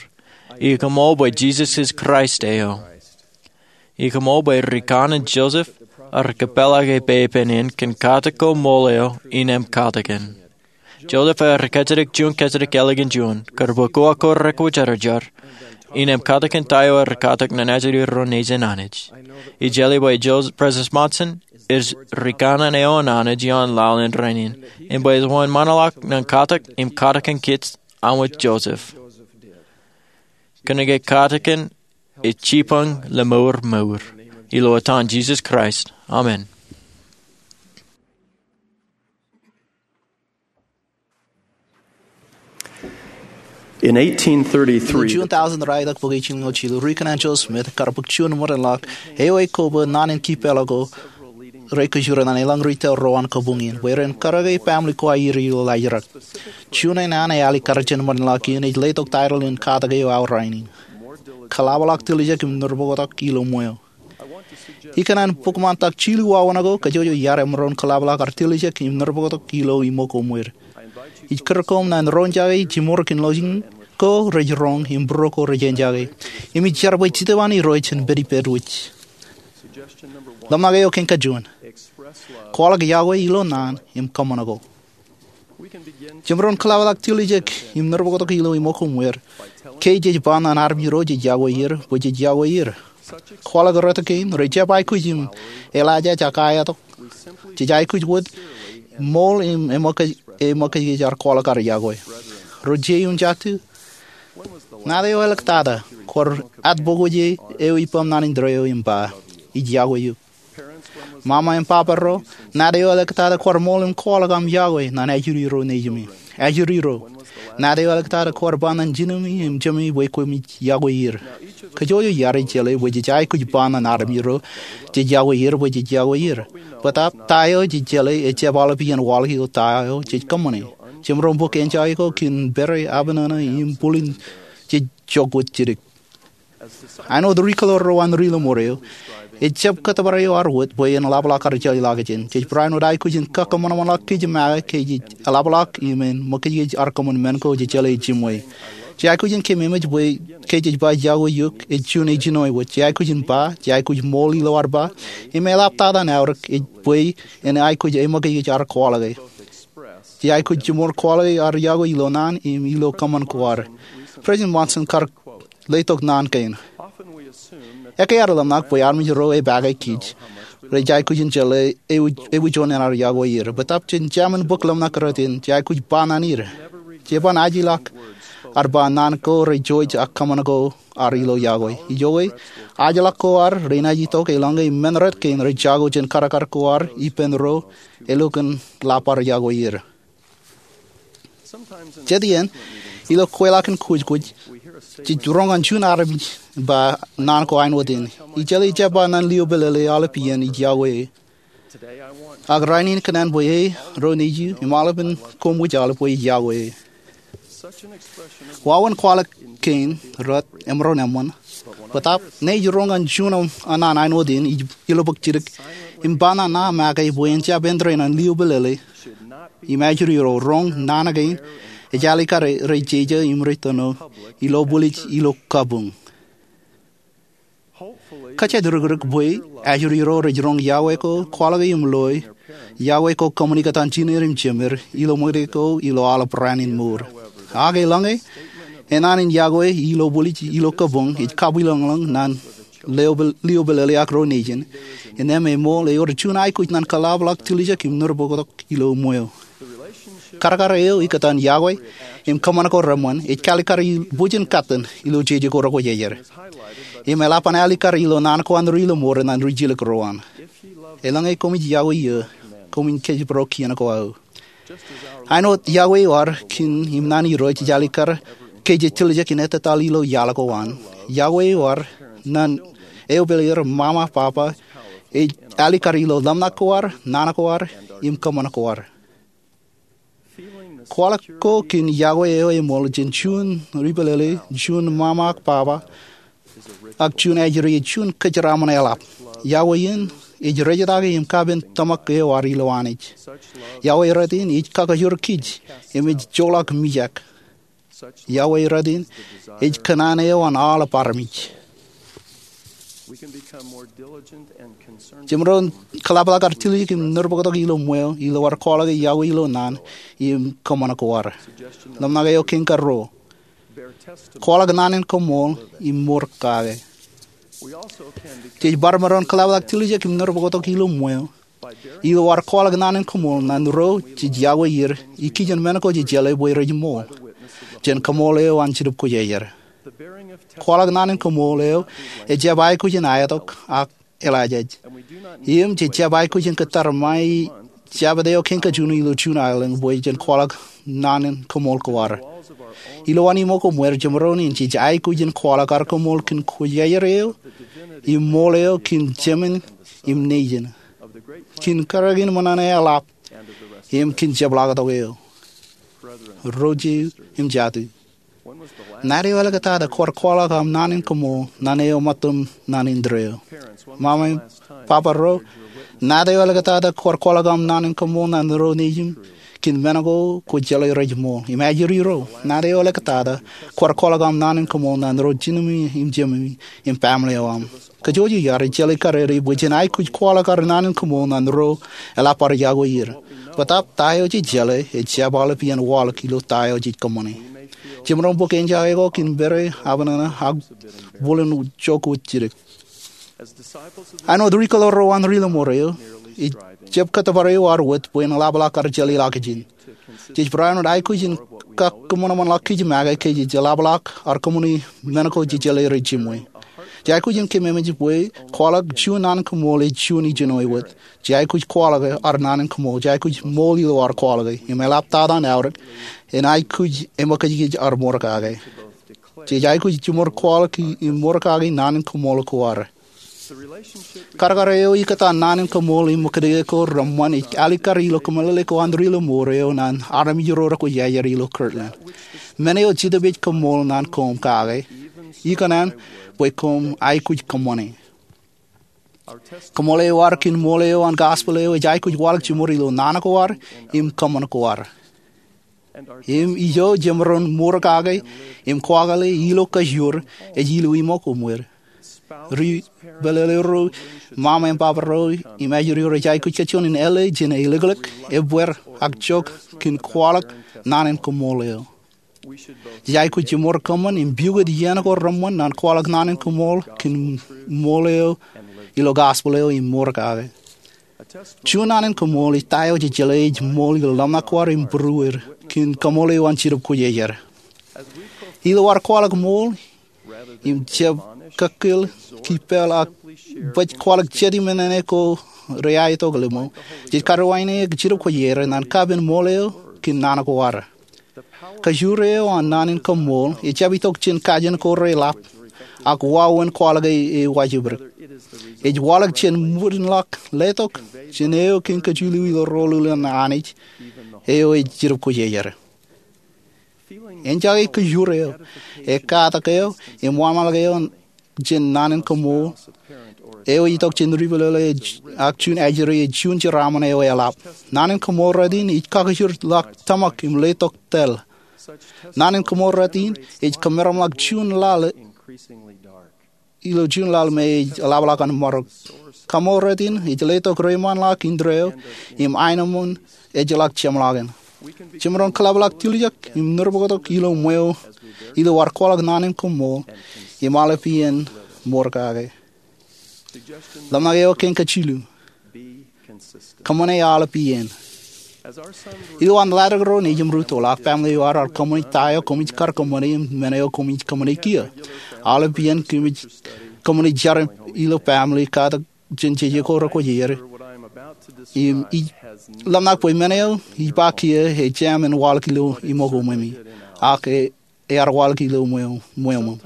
Ij kaṃool bwe Jisōs ej Kraist eo. Ij kaṃool bwe ri kōṇaan Joseph ear kōpeḷḷọk ippān kōn katak ko ṃool eo innām katakin. Joseph ear kajjitōk juon kajjitōk ālikin juon, kar bwe koba ko rekwōjarjar innem katakin ta eo rej katak ñan ajri ro nejin Anij. Ij jeḷā bwe Joseph, President Monson, ej ri kanaan eo an Anij ioon laḷ in rainin, im bwe ej wōnṃaanḷọk ñan katak im katakin kōj aṃ wōt Joseph. Kōnke katakin ej jibboñ lemour mour. Ilo etan Jisōs Kraist, amen. In eighteen thirty-three, Juun taujin ralitōk bōk ijin ñoul jilu, ri kanaan Joseph Smith, kar bōk juon ṃōdenḷọk eo ej koba naan in kipeḷḷọk ko rej kōjro ñan eḷaññe ri tōl ro an kabuñ in bwe ren karōke baaṃle ko aer ilo laajrak. Juon in an ealikkar jān ṃōdenḷọk in ej letok taitōl in katak eo aō rainin, Kaḷapḷọk Tiljek im Nōrbōktok Ilo Ṃweo. Ikōṇaan bōk ṃantak jilu wāween ko kajjojo iar emaroñ kaḷapḷọk ad tiljek im nōrbōktok ilo iṃōk ko ṃweo. Ij kūr koṃ ñan roñjake jiṃor kōn lọjilñiṃ ko rej roñ im būruō ko rej eñjake. Im ij jar bwe ij jitōb an Irooj jān pād ippād wōj. Ḷōmṇak eo kein kajuon. Kwaḷọk yokwe ilo naan im kōṃṃan ko. Jemaroñ kaḷapḷọk tiljek im nōrbōktok ilo iṃōk ko ṃweo ke jej ba ñan armej ro jej yokwe er bwe jej yokwe er. Kwaḷọk rot kein rej jab aikuj im eḷaajaj ak aetok. Jej aikuj wōt ṃool im eṃōkaj, eṃōkajkōj ad kwaḷọk ad yokwe. Ro jein jatū. Ñāāt eo āliktata kwaar atbōkōje eo ippām naan in tōre eo im ba, ij yokwe eok. Mama im papa ro, ñāāt eo āliktata kwaar ṃool im kwaḷọk aṃ yokwe ñan ajri ro nejimi. Ajri ro, ñāāt eo āliktata kwaar ba ñan jinemi im jemi bwe koṃij yokwe er. Kajjojo iaad ej jeḷā bwe jej aikuj ba ñan armej ro jej yokwe er bwe jej yokwe er. Bōtaab ta eo jej jeḷā ejjab aolepān waḷọk ilo ta eo jej kōṃṃane. Jemaroñ bōk eñjake ko kōn pere, abṇōṇō im bwilin jej jok wōt jidik. Āinwōt ri kōḷoor ro an ri lọmọọr eo, ejjab kōttōpar eo ad wōt bwe en ḷapḷọk ad jeḷā ḷọk jān. Jej barāinwōt aikuj in kakōṃanṃanḷọk kōj make ke jej ḷapḷọk im en ṃōkajkōj ad kōṃṃan men ko jej jeḷā ej jiṃwe. Jej aikuj in keememej bwe ke jej ba yokwe eok ej juon ejino eo wōt. Jej aikuj in ba, jej aikuj ṃool ilo ad ba, im eḷap tata aorōk ej bwe en aikuj eṃōkajkōj ad kwaḷọke. Jej aikuj jiṃor kwaḷọke ad yokwe ilo naan im ilo kōṃṃan ko ad. President Monson kar letok naan kein. Ekkā ad ḷōmṇak bwe armej ro epake kōj rej aikuj in jeḷā ewi, ewi juon in ad yokwe er. Bōtaab jān jamin bōk ḷōmṇak rot in, jej aikuj ba ñan er. Jeban ajilọk ad ba naan ko rej jouj ak kōṃṃan ko ad ilo yokwe. Ijoke, ajilọk ko ad renaaj itok eḷaññe men rot kein rej jako jān karkar ko ad ippān ro ālikin ḷap ad yokwe er. Jet iien, ilo kweilọk in kwōjkwōj, jej roñ ñan juon armej ba naan ko āinwōt in. Ij jeḷā ejjab ba ñan liōpālele aolep iien ij yokwe e. Ak rainin ikōṇaan bwe e, ro nejū, im aolepen koṃ wōj aolep bwe ij yokwe e. Wāween kwaḷọk kein rot emaroñ eṃṃan. Bōtaab ñe ij roñ ñan juon an naan āinwōt in, ij ilobōk jidik im ba ñan ña make bwe en jab āindein an liōpālele im ajri ro roñ naan kein ej alikkar rej jeje im rej tōno ilo bwilej ilo kabuñ. Kōjjān rikrik bwe ajri ro rej roñ yokwe ko kwaḷọke im loe yokwe ko kōṃṃani kōtaan jiner im jemer ilo ṃōkaj ko ilo aolep raan in mour. Ak eḷaññe enaan in yokwe ilo bwilej ilo kabuñ ej kabwilōñlōñ ñan liōpālele ak ro nejin, innām eṃool ewōr juon aikuj ñan kaḷapḷọk tiljek im nōrbōktok ilo ṃweo. Karkar eo ikōtaan yokwe im kōṃṃan ko reṃṃan ej kalikkar bwijin katten ilo jeje ko rekwōjarjar. Im eḷap an alikkar ilo naan ko an ri lọmọọr ñan ri jilkinrot ro an. Eḷaññe koṃij yokwe eō, koṃwin kōjparok kien ko aō. Āinwōt yokwe eo ad kōn im naan Irooj ej alikkar ke jej tiljek in ettōtaḷ ilo iaḷ ko an, yokwe eo ad ñan eopāleer, mama, papa, ej alikkar ilo ḷōmṇak ko ad, naan ko ad, im kōṃṃan ko ad. Kwaḷọk ko kōn yokwe eo eṃool jān juon ri pālele, juon mama ak baba, ak juon ajri ej juon kōjeraaṃṃan eḷap. Yokwe in ej rejjitōk im kapen tōmak eo ad ilo Anij. Yokwe rot in ej kakajoor kōj im ej joḷọk mijak. Yokwe rot in ej kōṇaan eo an aolep armej. Jemaroñ kaḷapḷọk ad tiljek im nōrbōktok ilo ṃweo ilo ad kwaḷọke yokwe ilo naan im kōṃṃan ko ad. Ḷōmṇak eo kein karuo. Kwaḷọk naan in koṃṃool im mour kake. Jej bar maroñ kōḷapḷọk tiljek im nōrbokotok ilo ṃweo ilo ad kwaḷọk naan in koṃṃool ñan ro jej yokwe er ikijjien men ko jej jeḷā bwe rej ṃool jān koṃṃool eo an Jetōb Kwōjarjar. Kwaḷọk naan in koṃṃool eo ejjab aikuj in aetok ak eḷaajaj. Im jej jab aikuj in kōttar ṃae Jabōt eo kein kajjioñ ilo June Island bwe jen kwaḷọk naan in koṃṃool ko ad. Ilowaan iṃōk ko ṃweer, jemaroñ in jej aikuj in kwaḷọk ad koṃṃool kōn Kwōjarjar eo im ṃool eo kōn Jemān im Nejin, kōn kōrā in ṃōṇōṇō eḷap, im kōn jepḷaaktok eo. Ro jeiū im jatū, naan eo āliktata kwōj kwaḷọk aṃ naan in koṃṃool ñan eo ṃōttan naan in tōre eo? Ṃaṃa im baba ro, naan eo āliktata kwōj kwaḷọk aṃ naan in koṃṃool ñan ro nejūṃ kōn men ko kwōj jeḷā rej ṃool? Im ajri ro, naan eo āliktata kwōj kwaḷọk aṃ naan in koṃṃool ñan ro jinōmi im jememi im baaṃle eo aṃ? Kajjojo iar ej jeḷā karere bwe jen aikuj kwaḷọk ad naan in koṃṃool ñan ro eḷap ad yokwe er. Bōtaab ta eo jej jeḷā ejjab aolepān waḷọk ilo ta eo jej kōṃṃane. Jemaroñ bōk enjake ko kōn pere, abṇōṇō, ak bōlen jokwe jidik. Āinwōt ri kōḷaḷ ro an Ri Laṃoor eo, ejjab kōttōpar eo ad wōt bwe en ḷapḷọk ad jeḷā ḷọkjein. Jej barāinwōt aikuj in kakōṃanṃanḷọk kōj make ke jej ḷapḷọk ad kōṃṃane men ko jej jeḷā rej jiṃwe. Jej aikuj in kememej bwe kwaḷọk juon naan in koṃṃool ej juon ijin eo wōt. Jej aikuj kwaḷọk ad naan in koṃṃool, jej aikuj ṃool ilo ad kwaḷọke, im eḷap tata an aorōk, en aikuj eṃōkajkij ad mour kake. Jej aikuj jeṃor kwaḷọk im mour kake naan in koṃṃool ko ad. Kadkad eo ikkōtaan naan in koṃṃool im ṃōkajjik ko reṃṃan ej alikkar ilo kōmeḷeḷe ko an Ri Laṃoor eo ñan armej ro rekwōjarjar ilo Kirtland. Men eo Jetōb ej kōṃṃool ñan koṃ kake, ikōṇaan bwe koṃ aikuj kōṃṃane. Kōṃṃool eo ad kōn ṃool eo an gospel eo ej aikuj waḷọk jeṃor ilo naan ko ad im kōṃṃan ko ad. Im ijo jemaroñ mour kake im kwaḷọke ilo kajoor ej ilo iṃōk ko ṃweer. Ri pālele ro, ṃaṃa im baba ro, im ajri ro rej aikuj kajjioñ in āle jān eilōklōk, ebbeer, ak jok kōn kwaḷọk naan in kōṃṃool eo. Jej aikuj jeṃor kōṃṃan im pukot iien ko reṃṃan ñan kwaḷọk naan in kōṃṃool kōn ṃool eo ilo gospel eo im mour kake. Juon naan in kōṃṃool ej ta eo jej jeḷā ej ṃool ilo ḷōmṇak ko ad im būruod kōn kōṃṃool eo an Jetōb Kwōjarjar. Ilo ad kwaḷọk ṃool im jab kakkōl, kippeḷ, ak baj kwaḷọk jet im nene ko reaetok ḷimo, jej karuwaineke Jetōb Kwōjarjar ñan kapen ṃool eo kōn naan ko ad. Kajoor eo an naan in kōṃṃool ejjab itok jān kajen ko reḷap ak wāween kwaḷọke ewōj ipdik. Ej waḷọk jān ṃōttan ḷọk letok jān eo kein kajilu ilo rōḷulen Anij, eo ej Jetōb Kwōjarjar. Enjake kajoor eo, ekkatak eo, im wāween ḷọk eo jān naan in kōṃṃool eo ej itok jān ri pālele ak juon ajri ej juon jeraaṃṃan eo eḷap. Naan in kōṃṃool rot in ej kakijir ḷọk tōmak im letok tōl. Naan in kōṃṃool rot in ej kōmeram ḷọk juon laḷ ilo juon laḷ me ej ḷapḷọk an marok. Kōṃṃool rot in ej letok reiṃaanḷọk indeeo im aenōṃṃan ejjeḷọk jeṃḷọkin. Jemaroñ kōḷapḷọk tiljek im nōrbokotok ilo ṃweo ilo ad kwaḷọk naan in kōṃṃool im aolepān mour kake. Ḷōmṇak eo kein kajilu: Kōṃṃane aolepān. Ilo an ḷaddik ro nejūṃ rūttoḷ ak baaṃle eo ad, ear kōṃṃane ta eo koṃij kar kōṃṃane im men eo koṃij kōṃṃane kiiō. Aolepān koṃij kōṃṃane jar ilo baaṃle katak jān jeje ko rekwōjarjar. Im ij ḷōmṇak bwe men eo ij ba kiiō ej jab waḷọk ilo iṃōk eo ṃweo, ak ear waḷọk ilo ṃweo ṃweo.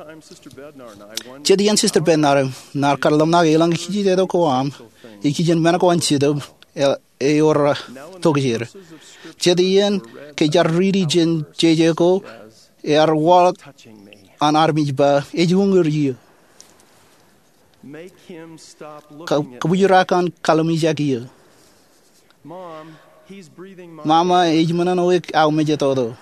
Jet iien Sister Bednar im ij kar ḷōmṇak eḷaññe kijejetok ko aṃ ikijjien men ko an Jetōb ewōr tokjāer. Jet iien ke jar riiti jān jeje ko ear waḷọk an armej ba, ej uñūr eō. Kōbwijrak an kalimjek eō. Mama, ej ṃōṇōṇōik aō mejatoto.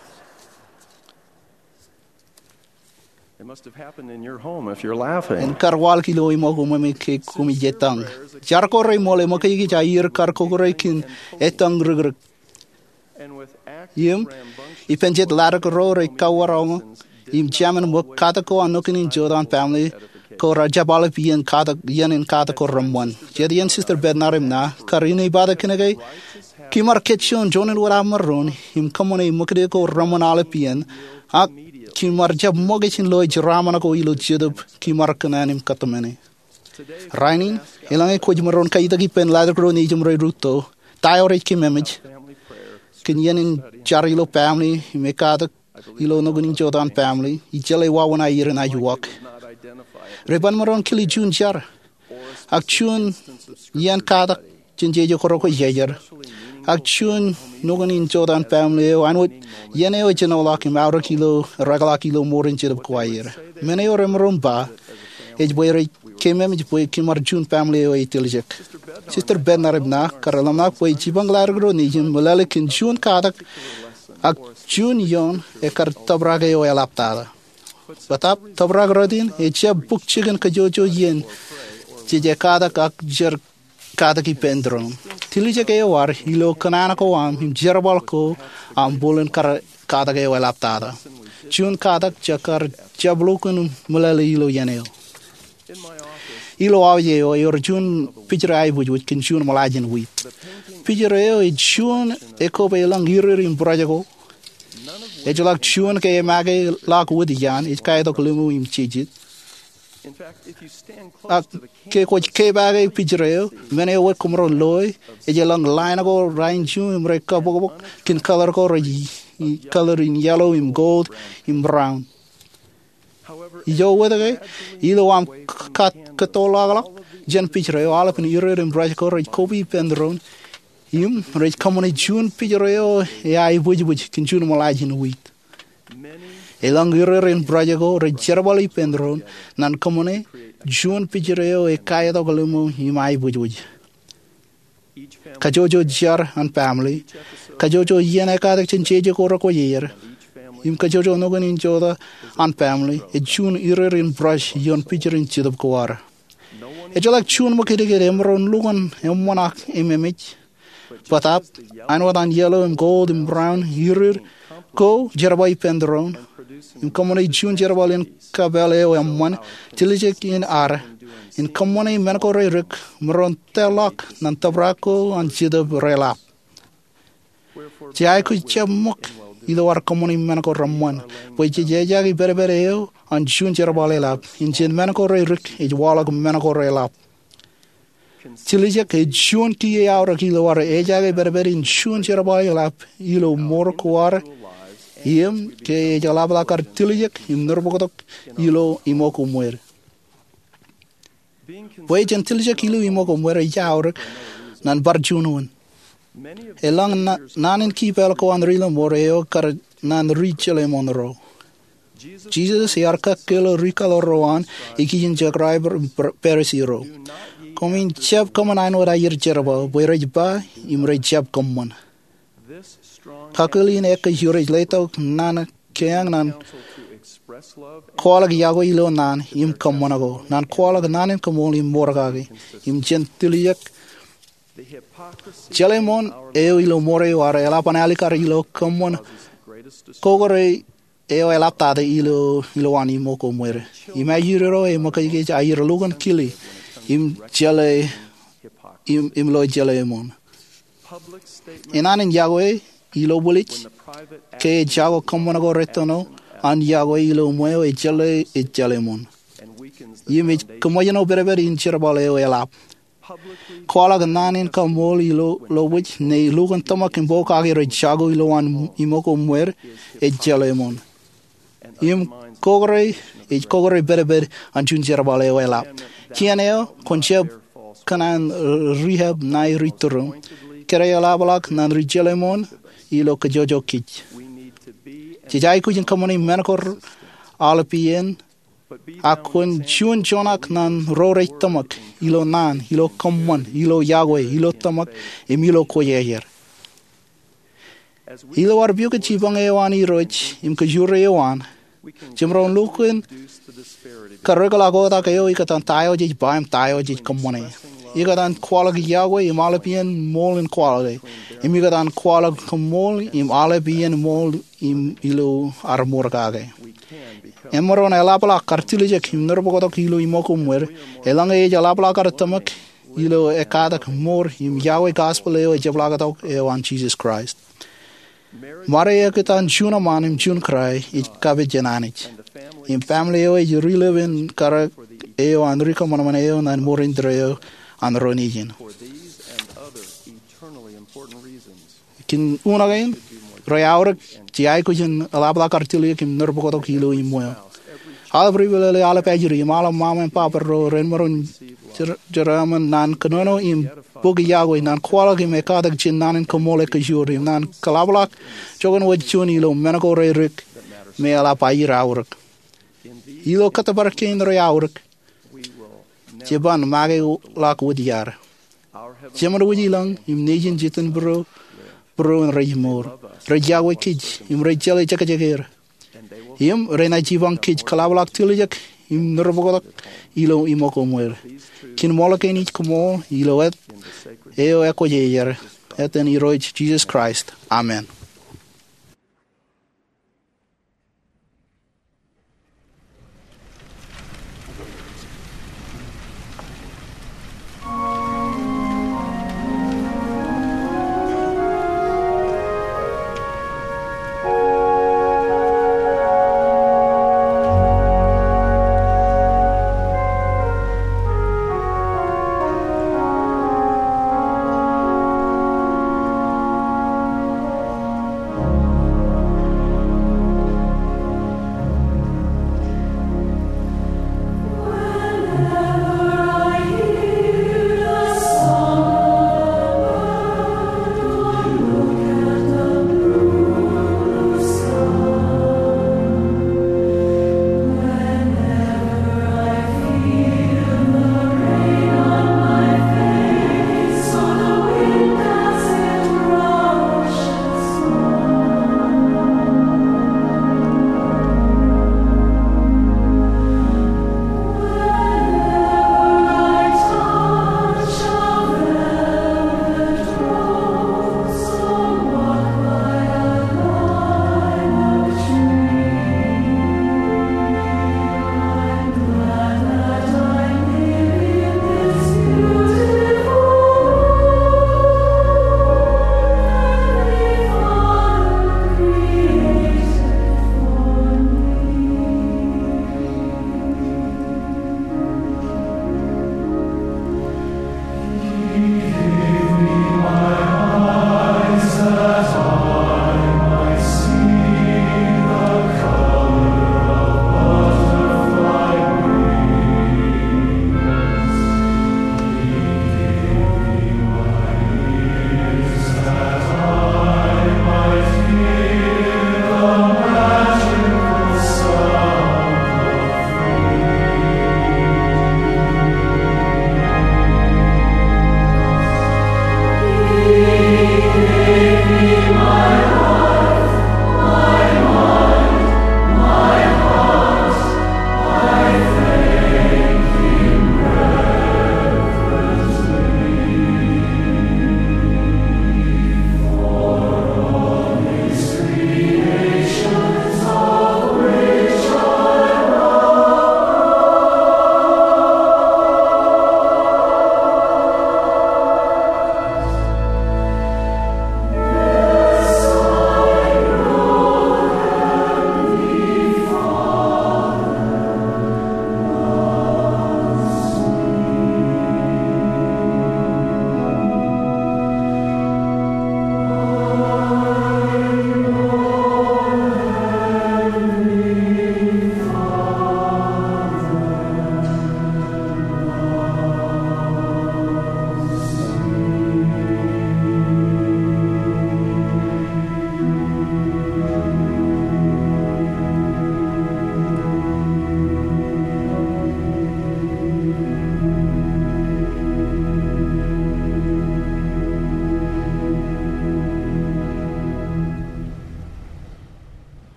En kar waḷọk ilo iṃōk eo ṃweo ke koṃij ettōñ. Jar ko reṃool eṃōkajkōj aer kar kōkure kōn ettōñ rikrik. Im ippān jet ḷaddik ro rej kawaroño, im jemān ṃōk katak ko an nukun in jotaan family ko rej jab aolep iien in katak ko reṃṃan. Jet iien Sister Bednar im na kar inepata kōnke kimar kōjjoon juon in wōt aṃ maroñ im kōṃṃane ṃōkaj ko reṃṃan aolep iien, ak kimar jab ṃōkaj in lo jeraaṃṃan ko ilo jetōb kimar kōṇaan im kōtmāne. Rainin, eḷaññe kwōj maroñ katak ippān ḷadik ro nejūṃ rej rūtto, ta eo rej kememej? Kōn iien in jar ilo family im ekatak ilo nukun in jotaan family ejjeḷọk wāween aier in ajuwak. Rej ban maroñ kile juon jar, ak juon iien katak jān jeje ko rekwe iiō, ak juon nukun in jotaan family eo āinwōt iien eo ejenoḷọk im aorōk ilo rekḷọk ilo mour in jetōb ko aer. Men eo remaroñ ba ej bwe rej kememej bwe kimar juon family eo ej tiljek. Sister Bednar im na kar ḷōmṇak bwe jipañ ḷadik ro nejūṃ meḷeḷe kōn juon katak ak juon iien ekar tōprak eo eḷaptata. Bōtaab tōprak rot in ejab bōk jikin kōjwōjwōj iien jej katak ak jar katak ippān tōre in. Tiljek eo ad ilo kōṇaan ko aṃ im jerbal ko aṃ bōlen kar katak eo eḷaptata. Juon katak jekar jab lukkuun meḷeḷe ilo iien eo. Ilo auje eo ewōr juon pijre aebōjbōj kōn juon ṃōḷaaj in wiit. Pijre eo ej juon ekōpālōñ irir im bwidej ko. Ejjeḷọk juon ke emake ḷọk wōt iaan, ej kaetok limo im jejet. Ak ke kwōj kepake pijre eo, men eo wōt kwōmaroñ loe ej elōñ line ko rainju im rej kabokbok kōn color ko rej, color in yellow im gold im brown. Ijo wōt ke, ilo aṃ kōttoḷọkḷọk jān pijre eo, aolepen irir im bwidej ko rej koba ippān tōre in im rej kōṃṃane juon pijre eo eaebōjbōj kōn juon ṃōḷaaj in wiit. Elōñ irir im bwidej ko rej jerbal ippān tōre in naan kōṃṃane juon pijre eo ekaetok limo im aebōjbōj. Kōjwōjwōj jar an family, kōjwōjwōj iien ekatak jān jeje ko rekwe iiō, im kōjwōjwōj nukun in jotaan family ej juon irir im bwidej ioon pijin jetōb ko ad. Ejjeḷọk juon ṃōkajdik emaroñ lukkuun eṃṃan ak ememej. Bōtaab āinwōt an yellow im gold im brown irir ko jerbal ippān tōre in im kōṃṃane juon jerbal in kapeel eo eṃṃan, tiljek in ad in kōṃṃane men ko redik emaroñ tōlḷọk naan tōprak ko an jetōb reḷap. Jej aikuj jab ṃōk ilo ad kōṃṃane men ko reṃṃan bwe jej ejaake pedped eo an juon jerbal eḷap, im jān men ko redik ej waḷọk men ko reḷap. Tiljek ej juon kiiō eaorōk ilo ad ejaake pedped in juon jerbal eḷap ilo mour ko ad im ke ej eḷapḷọk ad tiljek im nōrboktok ilo iṃōk ko ṃwed. Bwe jen tiljek ilo iṃōk ko ṃwed ej aorōk naan bar juon wōt. Elōñ naan in kipāl ko an ri-lọmọọr eo kar naan ri-jeḷeṃoṇ ro. Jisōs ear kakkōl ri-kaḷoor ro an ikijjien jekraibar Parisi ro, koṃwin jab kōṃṃan āinwōt aier jerbal bwe rej ba im rej jab kōṃṃan. Kakkōl in ekkā eo rej letok naan keañ naan kwaḷọk yokwe ilo naan im kōṃṃan ko, naan kwaḷọk naan in kaṃool im mour kake, im jān tiljek jeḷeṃoṇ eo ilo mour eo ad eḷap an alikkar ilo kōṃṃan kokōre eo eḷaptata ilo an iṃōk ko ṃwed. Im ajri ro eṃōkajkōj aier lukkuun kile im jeḷe im lo jeḷeṃoṇ. Naan in yokwe ilo bwilej ke ejako kōṃṃan ko rettino an yokwe ilo ṃweo ej jeḷe ej jeḷeṃoṇ. Im ej kōṃōjṇọ pedped in jerbal eo eḷap. Kwaḷọk naan in kaṃool ilo bwij ne lukkuun tōmak im pokake rej jako ilo an iṃōk ko ṃwed ej jeḷeṃoṇ. Im kokōre ej kokōre pedped an juon jerbal eo eḷap. Kien eo kwōn jab kōṇaan rehab ṇae ri-tūrūṃ, kōrā eḷapḷọk naan ri-jeḷeṃoṇ ilo kōjwōjwōj kōj. Jej aikuj in kōṃṃane men ko aolepān, ak kwōn juon joñak naan ro rej tōmak ilo naan, ilo kōṃṃan, ilo yokwe, ilo tōmak, im ilo kwōjarjar. Ilo ad pukot jipañ eo an Irooj im kōjro eo an, jemaroñ lukkuun karekḷọk otak eo ikōtaan ta eo jej ba im ta eo jej kōṃṃane. Ikōtaan kwaḷọk yokwe im aolepān ṃool in kwaḷọke, im ikōtaan kwaḷọk kaṃool im aolepān ṃool im ilo ad mour kake. Emaroñ eḷapḷọk kar tiljek im nōrbōktok ilo iṃōk im wōr, eḷaññe ej eḷapḷọk kar tōmak ilo ekkatak mour im yokwe gospel eo ejepḷaaktok eo an Jisōs Kraist. Ṃade eoktak an juon eṃṃaan im juon kōrā ej kapijin Anij. Im family eo ej ri-lōb in kar eo an ri kōṃanṃan eo ñan mour in tōre eo an ro nejin. Kōn unin kein, rej aorōk, jej aikuj in eḷapḷọk kar tiljek im nōrbōktok ilo iṃōk. Aolep ri-pālle, aolep ajri, im aolep ṃaṃa im baba ro ren maroñ jer-, jeraaṃṃan ñan kōnono im bōk yokwe ñan kwaḷọk im ekkatak jān naan in koṃṃool ekkejioñ im ñan kōḷapḷọk joñan wōt juon ilo men ko reirrik me eḷap aer aorōk. Ilo kōttōpar kein rej aorōk, jeban make ḷọk wōt iaad. Jemān wōj ilañ im nejin jitōnbōro būruon rej mour. Rej yokwe kōj im rej jeḷā jekjeker. Im renaaj jipañ kōj kōḷapḷọk tiljek im nōrbōktok ilo iṃōk im wōr. Kōn ṃool kein ij koṃṃool ilo āt eo ekwōj ej er, āten Irooj Jisōs Kraist. Amen.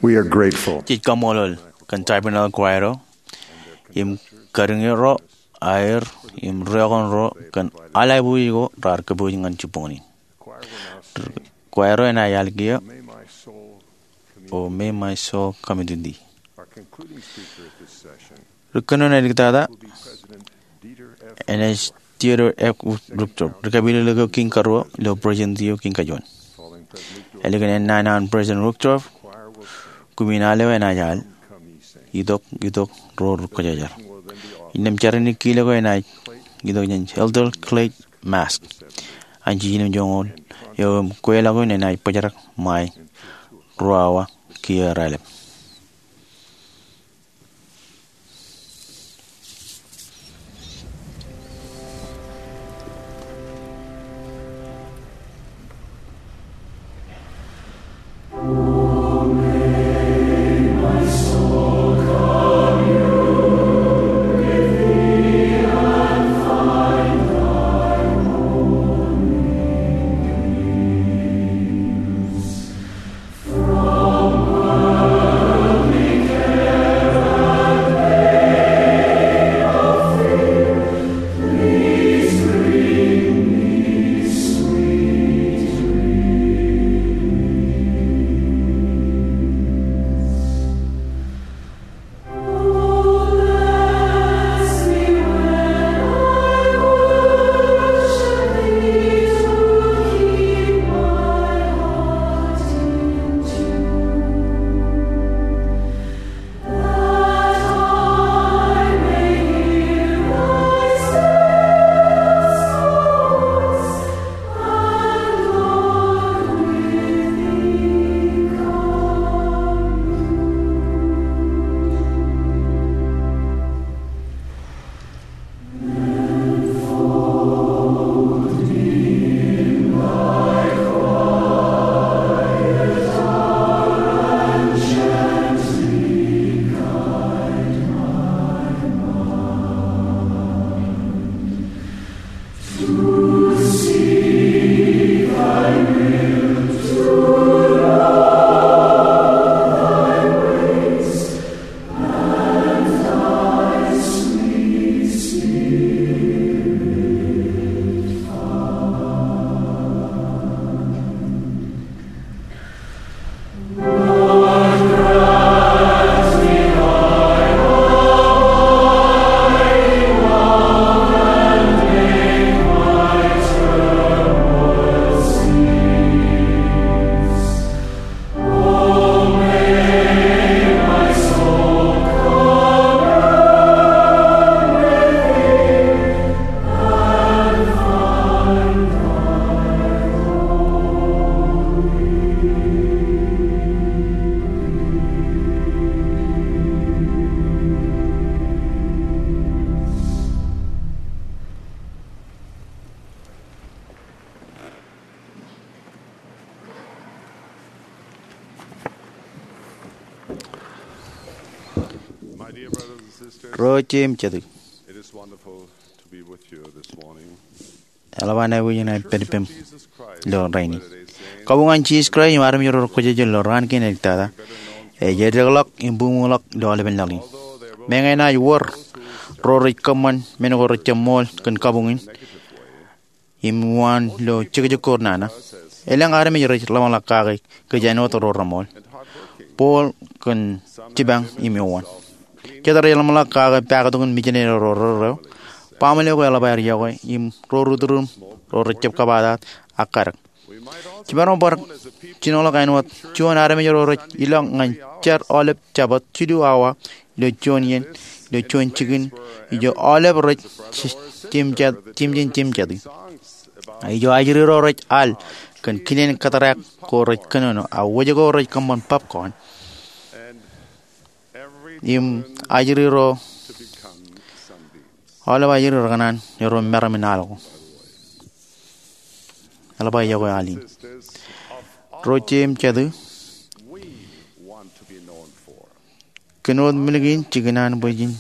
We are grateful. Jej kaṃṃoolol kōn Tabernacle Choir ro im kariñe ro aer im riookon ro kōn aolep ko raar kōpooj ñan jibboñōn in. Kwaer eo enaaj al kiiō, O May My Soul Come to Thee. Ri kōnono āliktata enaaj Dieter F. Uchtdorf, ri kapilōklōk eo kiiñ karuo ilo Presidentio kiiñ kajuon. Ālikin ennaan an President Uchtdorf, kumin al eo enaaj al, Itok, Itok, Ro Rekwōjarjar. Innām jeranin kilōk eo enaaj itok jān Elder Clay Mask an jiljino joñoul eo im kweilọk in enaaj bōjrak ṃae ruo awa kiiō raelep. Ro jet im jetōb, eḷap an aikuj in aer pād ippaṃ ilo rainin. Kabuñ an Jisōs Kraist im armej ro rej kwōjarjar ilo raan kein āliktata ej eddekḷọk im bōkḷọk ilo aolepen laḷ in. Meñe enaaj wōr ro rej kōṃṃan men ko rejjab ṃool kōn kabuñ in im uwaan ilo jekjek ko renana, elōñ armej rej ḷōmṇak kake kōj āinwōt ro reṃool, bold kōn jipañ im eoon. Jet rej ḷōmṇak kake paktok in mijinede ro rerreo, baaṃle ko eḷap aer iọkwe, im ro ri turuṃ ro rejjab kabataat ak kadek. Jipañ ro bar jinoḷọk āinwōt juon armej ro rej ilọk ñan jar aolep Jabōt jilu awa ilo juon iien, ilo juon jikin, ijo aolep rej jemjān jemjāti. Ijo ajri ro rej al kōn kinen kōtrak ko rej kōnono, ak wōj ko rej kōṃṃan popcorn. Im ajri ro, aolep ajri ro rekōṇaan erro meram in al ko. Eḷap aō iọkwe al in. Ro jet im jetōb, kōn wōt milkin jikin an bwe jen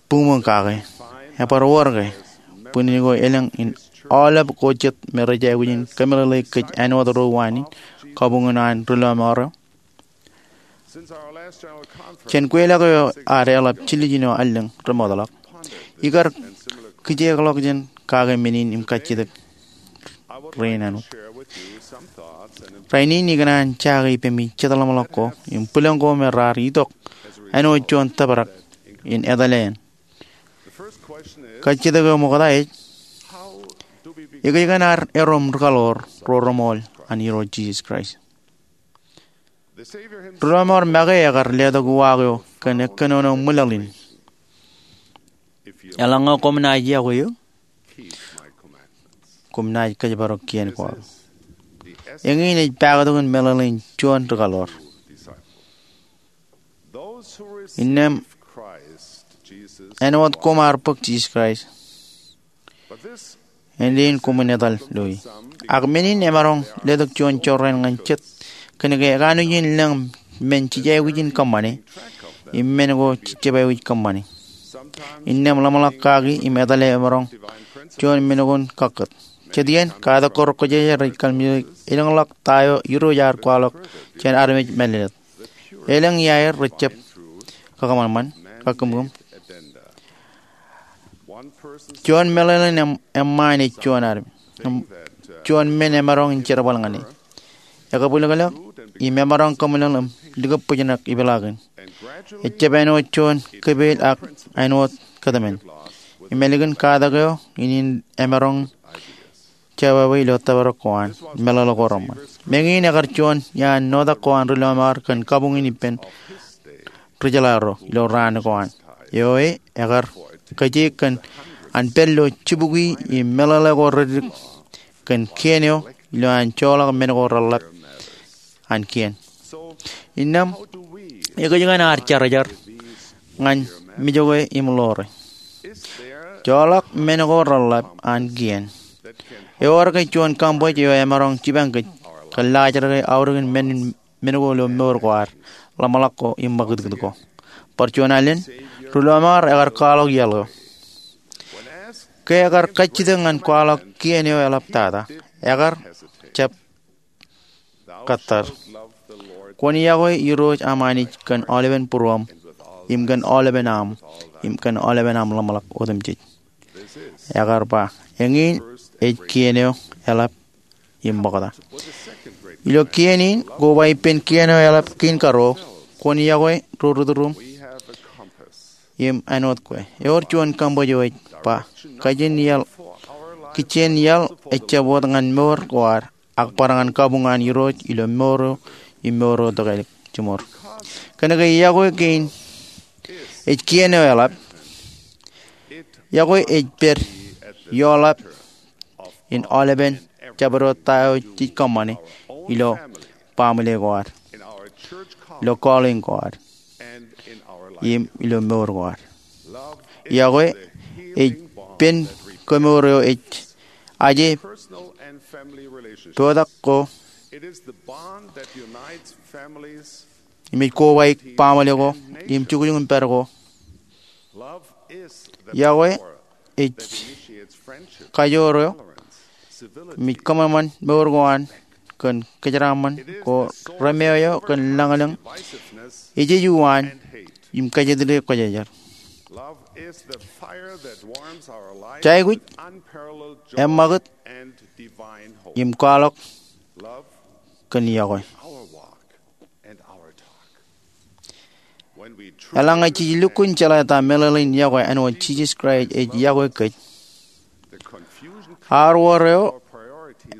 buñbuñ kake, ebar wōr ke bwinnin ko elōñ in aolep ko jet me rej aikuj in kōmeḷeḷe kōj āinwōt ro uwaan in kabuñ in an ri lọmọọr eo. Jān kweilọk eo ad eḷap jiljino allōñ remootḷọk, Ikar kijeekḷọk jān kake men in im kajjitōk rein āinwōt. Rainin ikōṇaan jake ippemi jet ḷōmṇak ko im bwilōñ ko me raar itok āinwōt juon tōprak in etale eṇ. Kajjitōk eo ṃokta ej, ekōjkan ad erom rikaḷoor ro reṃool an Irooj Jisōs Kraist? Ri lọmọọr make ekar letok uwaak eo kōn ekkōnono ṃwilaḷ in, Eḷaññe koṃ naaj yokwe eō, koṃ naaj kōjparok kien ko aō. Eñin ej paktok in meḷeḷein juon rikaḷoor. Innām āinwōt koṃ ar bōk Jisōs Kraist, āindein koṃwin etal loi. Ak men in emaroñ letok juon jorrāān ñan jet kōnke ekanooj in lōñ men jej aikuj in kōṃṃane im men ko jejjab aikuj kōṃṃane. Innām ḷōmṇak kaki im etale emaroñ juon men ko in kakkōt. Jet iien, katak ko rekwōjarjar ej kallimjeke elōñḷọk ta eo Irooj ear kwaḷọk jān armej mālōtlōt. Elōñ iaer rejjab kakōṃanṃan, kakōmkōm. Juon meḷeḷein eṃṃaan ej juon armej, juon men emaroñ in jerbal ñan e. Ekabwilōñlōñ im emaroñ kōmeḷeḷe im likōbōjnak ipeḷaakin. Ejjab āinwōt juon kōpeel ak āinwōt kōtmān. Im ālikin katak eo in, in emaroñ jabwābwe ilo tōprak ko an meḷeḷe ko reṃṃan. Meñe in ekar juon iaan notak ko an ri lọmọọr kōn kabuñ in ippān ri jeḷā ro ilo raan ko an. Eo e, ekar kōjek kōn an pād ilo jibukwi im meḷeḷe ko reddik kōn kien eo ilo an joḷọk men ko reḷḷap an kien. Innām, ekōjkan ad jerajar ñan mijokwe im ḷoore? Joḷọk men ko reḷḷap an kien. Ewōr ke juon kaṃbōj eo emaroñ jipañ kōj kōn laajrak e aorōkin men, men ko ilo mour ko ad, ḷōmṇak ko im ṃakūtkūt ko? Bar juon alen, ri lọmọọr ekar kwaḷọk iaḷ eo. Ke ekar kajjitōk ñan kwaḷọk kien eo eḷap tata, ekar jab kōttar. Kwōn yokwe Irooj aṃ Anij kōn aolepen būruōṃ, im kōn aolepen aṃ, im kōn aolepen aṃ ḷōmṇak otemjej. Ekar ba, eñin ej kien eo eḷap im ṃokta. Ilo kien in, koba ippān kien eo eḷap kein karuo, kwōn yokwe ro ri tūruṃ im āinwōt kwe. Ewōr juon kaṃbōj eo ej ba, kajin iaḷ, kijjien iaḷ ejjab wōt ñan mour ko ad, ak bar ñan kabuñ an Irooj ilo mour eo im mour eo tokālik jiṃor. Kōnke yokwe kein ej kien eo eḷap, yokwe ej pād ioḷap in aolepen jabdewōt ta eo jej kōṃṃane ilo baaṃle ko ad, ilo calling ko ad, im ilo mour ko ad. Yokwe ej pen kemour eo ej aje potak ko im ej kobaik baaṃle ko im jukjuk in pād ko. Yokwe ej kajoor eo im ej kōṃanṃan mour ko an kōn kōjeraaṃṃan ko, remeo eo kōn lañlōñ, ejej uwaan, im kajjitōk kwōjarjar. Jaikuj, eṃṃakūt, im kwaḷọk kōn yokwe. Eḷaññe jej lukkuun jeḷā ta meḷeḷein yokwe āinwōt Jisōs Kraist ej yokwe kōj, aor wōr eo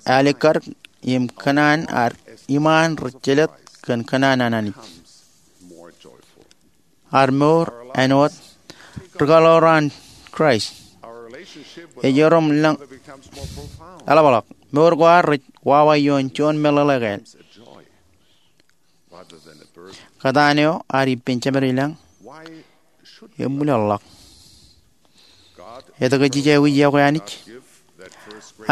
alikkar im kōṇaan ad iṃaan rej jelōt kōn kōṇaan an Anij. Ad mour āinwōt rikaḷoor an Kraist ej erom lañ eḷapḷọk. Mour ko ad rej wawa ioon juon meḷeḷe kāāl. Kōtaan eo ad ippān jemed ilañ, eṃwilaḷḷọk. Etke jej aikuj yokwe Anij?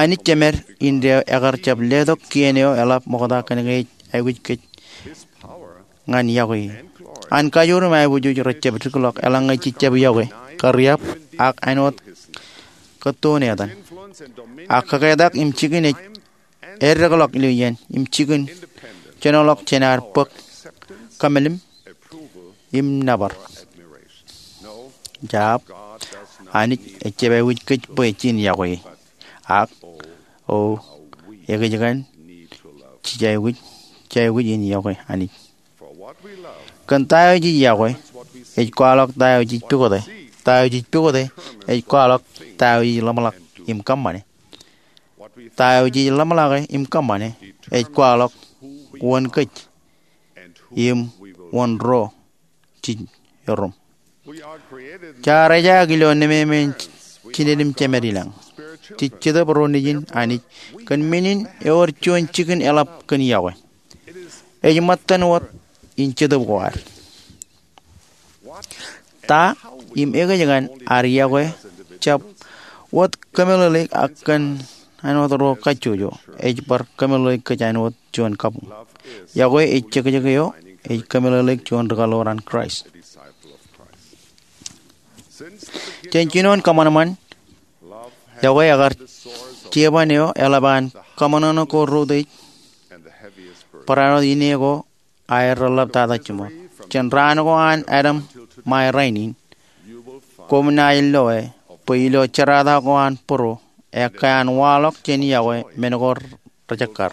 Anij jemed indeeo ekar jab letok kien eo eḷap ṃokta kōnke ej aikuj kōj ñan yokwe e. An kajoor im aiboojoj rejjab dikḷọk eḷaññe jejjab yokwe, kariab, ak āinwōt kōttoon etan. Ak kōketak im jikin ej eddekḷọk ilo iien im jikin jenoḷọk jān ad bōk kōmālim im nōbar. Jab, Anij ejjab aikuj kōj bwe jen yokwe e. Ak, o, ekōjkan, jej aikuj, jej aikuj in yokwe Anij. Kōn ta eo jej yokwe ej kwaḷọk ta eo jej pukote. Ta eo jej pukote ej kwaḷọk ta eo jej ḷōmṇak im kōṃṃane. Ta eo jej ḷōmṇake im kōṃṃane ej kwaḷọk wōn kōj im wōn ro jej erom. Jaar ejaak ilo nemāmein jined im jemed ilañ. Jej jetōb ro nejin Anij kōn men in ewōr juon jikin eḷap kōn yokwe. Ej ṃōttan wōt in jetōb ko ad. Ta im ekōjkan ad yokwe jab wōt kōmeḷeḷeik ak kōn āinwōt ro kajjojo ej bar kōmeḷeḷeik kōj āinwōt juon kabuñ. Yokwe ej jekjek eo ej kōmeḷeḷeik juon rikaḷoor an Kraist. Jān jinoin kōṃanṃan, yokwe ekar jeban eo eḷap an kōṃanṃan ko reutiej barāinwōt ine ko aer reḷḷaptata jiṃor. Jān raan ko an Adam ṃae rainin, koṃ naaj loe bwe ilo jerata ko an būruo ekkā an waḷọk jān yokwe men ko rejekkar.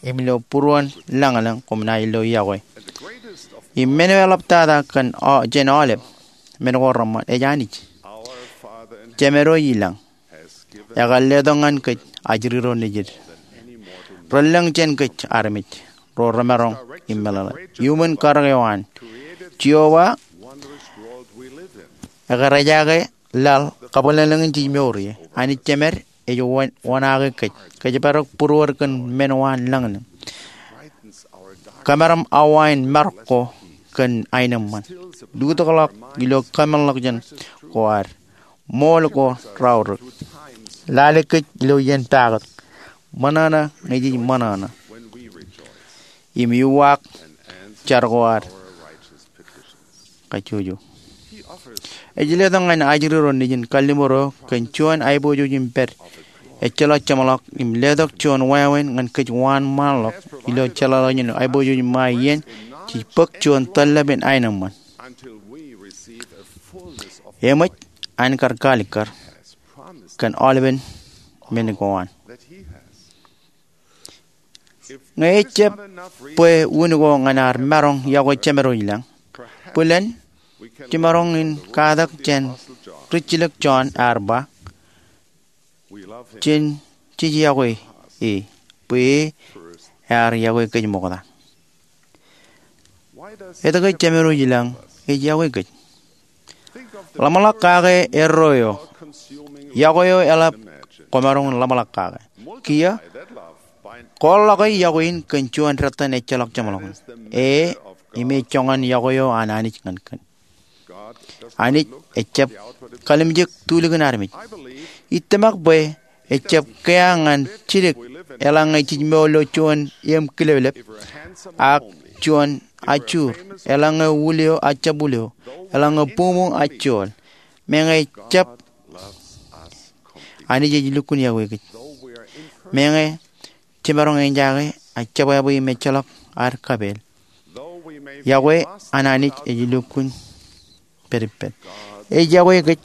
Im ilo būruon lañlōñ koṃ naaj lo yokwe. Im men eo eḷaptata kōn aolep men ko reṃṃan ej Anij. Jemed eo ilañ ekar letok ñan kōj ajri ro nejid relōñ jān kōj armej ro remaroñ im meḷeḷe. Iuṃwin karōk eo an, Jeova ekar ejaake laḷ kabwilōñlōñ in jej mour ie. Anij Jemed ej wōnaake kōj kōjparok būruod kōn men eo an lañlōñ. Kōmeram awa in marok ko kōn aenōṃṃan. Lutōkḷọk ilo kōmeḷḷọkjeṇ ko ad. Ṃool ko raorōk. Lale kōj ilo iien pakōt. Ṃōṇōṇō ñe jej ṃōṇōṇō im iuwaak jar ko ad kajjojo. Ej letok ñan ajri ro nejin kalliṃur eo kōn juon aiboojoj im pād ejjeḷọk jeṃḷọk im letok juon wāween ñan kōj waan ṃaanḷọk ilo jeḷāḷọkjeṇ aiboojoj ṃae iien jej bōk juon tōllep in aenōṃṃan. Eṃōj an kar kaalikkar kōn aolepen men ko an. Ñe ejjab bwe un ko ñan ad maroñ yokwe Jemed eo ilañ, bōlen jemaroñ in katak jān rijjilōk Jon ear ba, jen jej yokwe e bwe e ear yokwe kōj ṃokta. Etke Jemed eo ilañ ej yokwe kōj? Ḷōmṇak kake erro eo. Yokwe eo eḷap kwōmaroñ in ḷōmṇak kake. Kiiō, kwaḷọke yokwe in kōn juon dettan ejjeḷọk jeṃḷọkin. E im ej joñan yokwe eo an Anij ñan kōn. Anij ejjab kalimjek tulikin armej. Itōmak bwe ejjab kea ñan jidik eḷaññe jej mour ilo juon eṃ kileplep ak juon ajur, eḷaññe wūl eo ajjab wūl eo, eḷaññe buṃuṃ ajjool. Meñe ejjab, Anij ej lukkuun yokwe kōj. Meñe jemaroñ eñjake ak jebwābwe im ejjeḷọk ad kapeel, yokwe an Anij ej lukkuun pād ippād. Ej yokwe kōj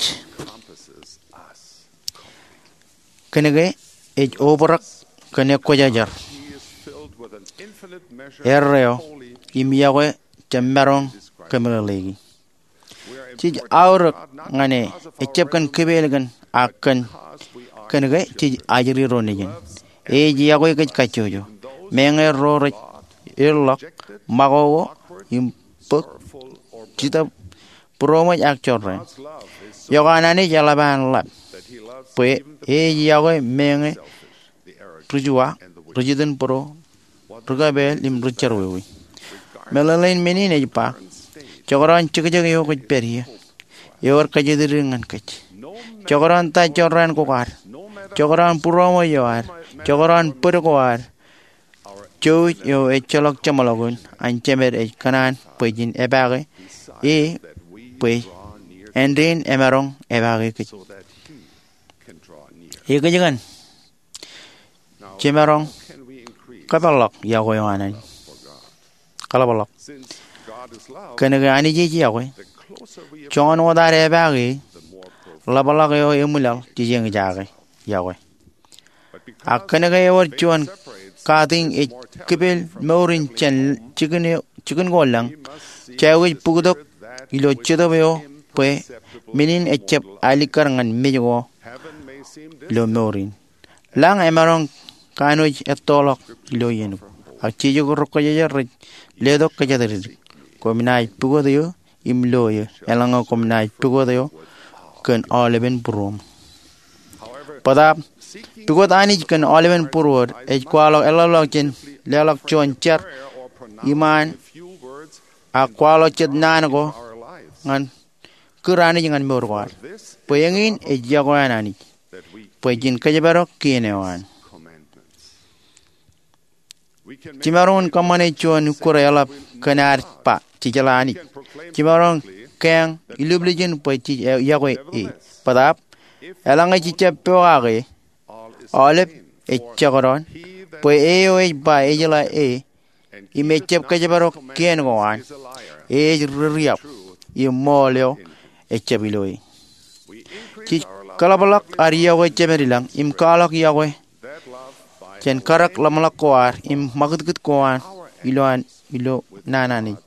kōnke ej obrak kōn ekwōjarjar, erreo, im yokwe jemaroñ kōmeḷeḷeiki. Jej aorōk ñan e, ejjab kōn kipeel kōn, ak kōn, kōnke jej ajri ro nejin. Ej yokwe kōj kajjojo, meñe ro rej ilḷọk, ṃakoko, im bōk, jitōb, būroṃōj ak jorrāān. Iọkwe an Anij eḷap an ḷap, bwe ej yokwe meñe ri juwa, ri jitin būro, ri kapeel im ri jerọwiwi. Meḷeḷein men in ej ba, jekdọọn jekjek eo kwōj pād ie, ewōr kōjatdikdik ñan kōj. Jekdọọn ta jorrāān ko ad, jekdọọn būroṃōj eo ad, jekdọọn bōd ko ad, jouj eo ejjeḷọk jeṃḷọkin an Jemed ej kōṇaan bwe jen epaake e bwe āindein emaroñ epaake kōj. Ekōjkan jemaroñ kōpeḷḷọk yokwe eo an Anij? Kaḷapḷọk. Kōnke Anij ej yokwe, joñan wōt ad epaake e, ḷapḷọk eo eṃwilaḷ jej eñjake yokwe. Ak kōnke ewōr juon katiñ ej kipel mour in jān jikin eo, jikin ko lañ, jej aikuj bōktok ilo jetōb eo bwe men in ejjab alikkar ñan mej ko ilo mour in. Lañ emaroñ kanooj ettoḷọk ilo iien ko, ak jeje ko rekwōjarjar rej letok kōjatdikdik. Koṃ naaj pukot eō im lo eō, eḷaññe koṃ naaj pukot eō kōn aolepen būruōṃ. Bōtaab, pukot Anij kōn aolepen būruod ej kwaḷọk eḷḷọk jān leḷọk juon jar iṃaan ak kwaḷọk jet naan ko ñan kūr Anij ñan mour ko ad. Bwe eñin ej yokwe an Anij, bwe jen kōjparok kien eo an. Jimaroñ in kōṃṃane juon ukkure eḷap kōn ad ba, jej jeḷā Anij. Jimaroñ keañ ilublijin bwe jej yokwe e. Bōtaab, eḷaññe jejjab pokake, aolep ej jekdọọn, bwe e eo ej ba ejeḷā e, im ejjab kōjparok kien ko an, e ej ri-riab, im ṃool eo ejjab ilo e. Jej kōḷapḷọk ad yokwe jemed ilañ im kwaḷọk yokwe jān karōk ḷōmṇak ko ad im ṃakūtkūt ko an ilo an, ilo naan Anij.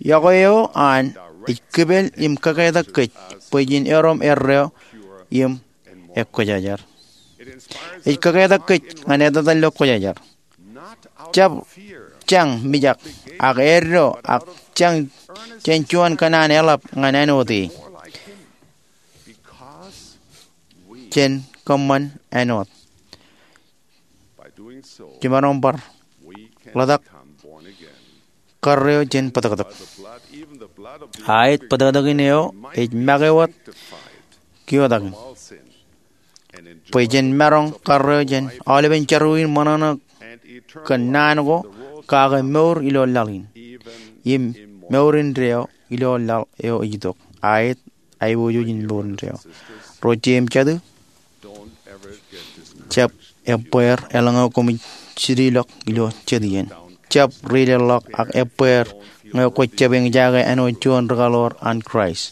Yokwe eo an ej kipel im kōketak kōj bwe jen erom erreo im ekwōjarjar. Ej kōketak kōj ñan etetal ilo kwōjarjar. Jab jañ mijak, ak eddo, ak jañ jān juon kōṇaan eḷap ñan āinwōt e. Jen kōṃṃan āinwōt. Jimaroñ bar ḷotak karreo jān bōtōktōk. Aet, bōtōktōkin eo ej make wōt kiotakin bwe jen maroñ karreo jān aolepen jerọwiwi in ṃōṇōṇō kōn naan ko, kake mour ilo laḷ in, im mour indeeo ilo laḷ eo ej itok. Aet, aiboojoj in mour indeeo. Ro jeiū im jatū, jab ebbeer eḷaññe koṃij jidik ḷọk ilo jet iien. Jab rileḷḷọk ak ebbeer ñe kwōj jab eñjake āinwōt juon rikaḷoor an Kraist.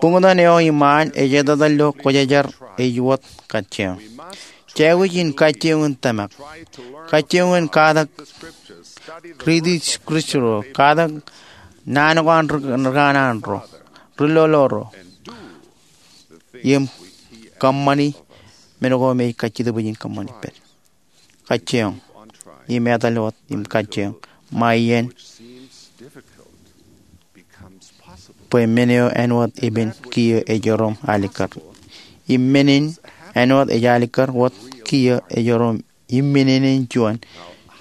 Buñtōn eo iṃaan ej etetal ilo kwōjarjar ej wōt kajjioñ. Jej aikuj in kajjioñ in tōmak, kajjioñ in katak riiti scripture ro, katak naan ko an ri-, rikanaan ro, ri-lolo ro, im kōṃṃani men ko me ej kajjitōk bwe jen kōṃṃani pād. Kajjioñ im etal wōt im kajjioñ ṃae iien bwe men eo āinwōt epen kiiō ej erom alikkar. Im men in āinwōt ej alikkar wōt kiiō ej erom iminenen juon,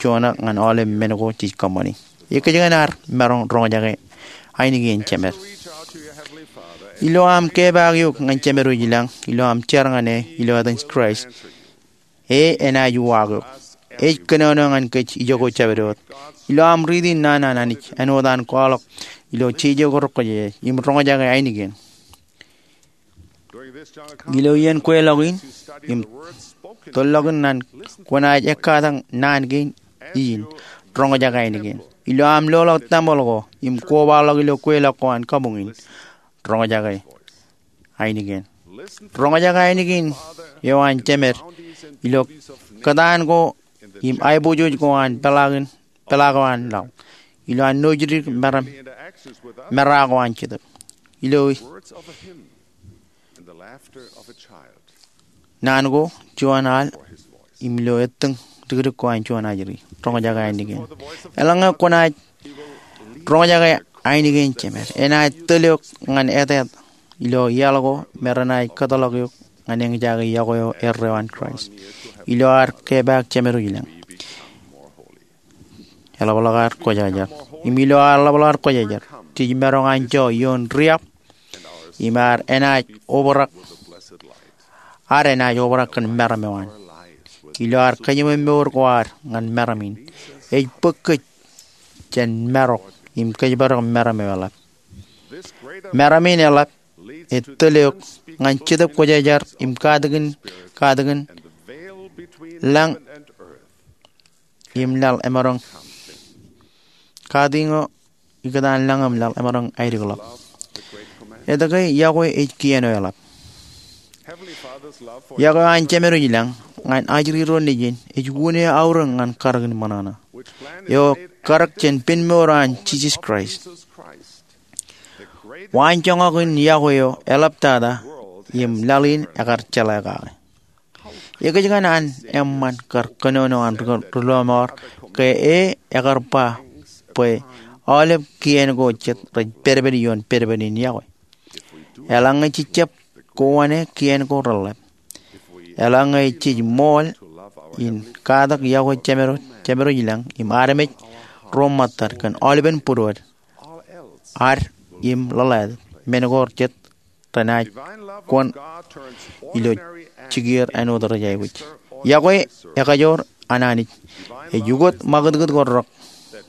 juon ñan aolep men ko jej kōṃṃani. Ekkejkajin ad maroñ roñjake ainikien Jemed. Ilo aṃ kepaak eok ñan Jemed wōj ilañ, ilo aṃ jar ñan e ilo etan Kraist, e enaaj uwaak eok. Ej kōnono ñan kōj ijoko jabdewōt. Ilo aṃ riiti naan an Anij āinwōt an kwaḷọk ilo jeje ko rekwōjarjar, im roñjake ainikien. Ilo iien kweilọk in im tōllọk in, kwōnaaj ekkatak naan kein in, roñjake ainikien. Ilo aṃ loḷọk tempel ko im kobaḷọk ilo kweilọk ko an kabuñ in, roñjake ainikien. Roñjake ainikien eo an Jemed ilo kōtaan ko im aiboojoj ko an peḷaakin, peḷaak eo an laḷ, ilo an nōjdik meram, mera ko an jetōb, ilo naan ko juon al, im ilo ettōñ dikdik ko an juon ajri. Roñjake ainikien. Eḷaññe kwōnaaj roñjake ainikien Jemed, enaaj tōl eok ñan eteet ilo iaḷ ko me renaaj kōtḷọk eok ñan eñjake yokwe eo erreo an Kraist. Ilo ad kepaak Jemed wōj ilañ, eḷapḷọk ad kwōjarjar. Im ilo ad ḷapḷọk ad kwōjarjar, jej maroñ anjọ ioon riab, im ad enaaj obrak, ad enaaj obrak kōn meram eo an. Ilo ad kajiṃwe mour ko ad ñan meram in, ej bōk kōj jān marok im kōjparok meram eo eḷap. Meram in eḷap ej tōl eok ñan Jetōb Kwōjarjar im katakin, katakin lañ im laḷ emaroñ, katakin eo ikōtaan lañ im laḷ emaroñ aedikḷọk. Etke yokwe ej kien eo eḷap? Yokwe eo an Jemedwōj ilañ ñan ajri ro nejin ej unin eo aorōk ñan karōk in ṃōṇōṇō eo karōk jān penmour an Jisōs Kraist. Waanjoñak in yokwe eo eḷaptata im laḷ in ekar jeḷā kake. Ekōjkan an eṃṃan kar kōnono an ri-, ri-lọmọọr ke e ekar ba bwe aolep kien ko jet rej pedped ioon pedped in yokwe? Eḷaññe jejjab kowaan kien ko reḷḷap, eḷaññe jej ṃool in katak yokwe Jemedwōj, Jemedwōj ilañ im armej ro ṃōttad kōn aolepen būruod, ad im ḷōḷātāt, men ko jet renaaj kwōn ilo jikier āinwōt rej aikuj. Yokwe ekajoor an Anij. Ej ukot ṃakūtkūt ko rōk,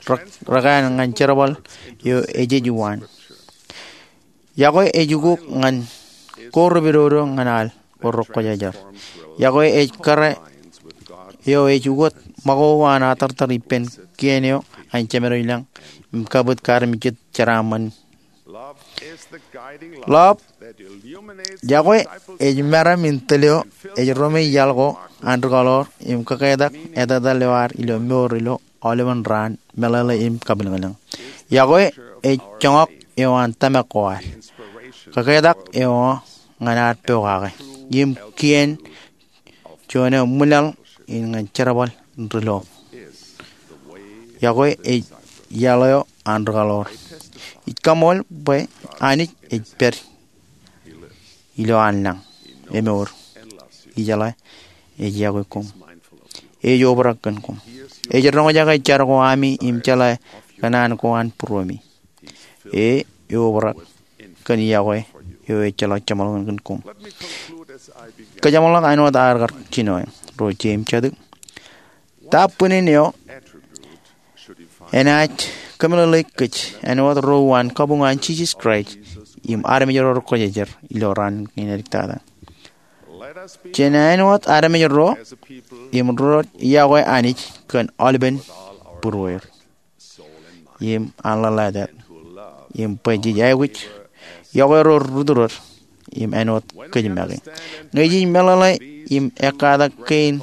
rōk, rōk an ñan jerbal eo ejej waan. Yokwe ej ukok ñan ko repedodo ñan al ko rekwōjarjar. Yokwe ej kōrā eo ej ukot ṃakoko an atartar ippān kien eo an Jemedwōj ilañ im kabwit kaarmejjet jeraaṃṃan. Love, yokwe ej meram in tōl eo ej roñoul iaḷ ko an ri-kōḷoor im kōketak etetal eo ad ilo mour ilo aolepen raan, meḷeḷe im kapilōñlōñ. Yokwe ej joñak eo an tōmak ko ad. Kōketak eo ñan ad pokake im kien juon eo ṃwilaḷ in ñan jerbal in ri-lọọb. Yokwe ej iaḷ eo an ri-kōḷoor. Ij kaṃool bwe Anij ej pād ilo an lañ, emour, ijeḷā, ej yokwe koṃ. Ej obrak kōn koṃ. Ej roñjake jar ko ami im jeḷā kōṇaan ko an būruemi. E, eobrak kōn yokwe eo ejjeḷọk jeṃḷọkin kōn koṃ. Kōjeṃḷọk āinwōt aer kar jino ro jeiū im jatū. Ta bwinin eo enaaj kōmeḷeḷeik kōj āinwōt ro uwaan kabuñ an Jisōs Kraist im armej ro rekwōjarjar ilo raan kein āliktata? Jen āinwōt armej ro im ro rej yokwe Anij kōn aolepen būrueir im an ḷōḷātāt, im bwe jej aikuj yokwe ro ri-tūror im āinwōt kōj make. Ñe jej meḷeḷe im ekkatak kien,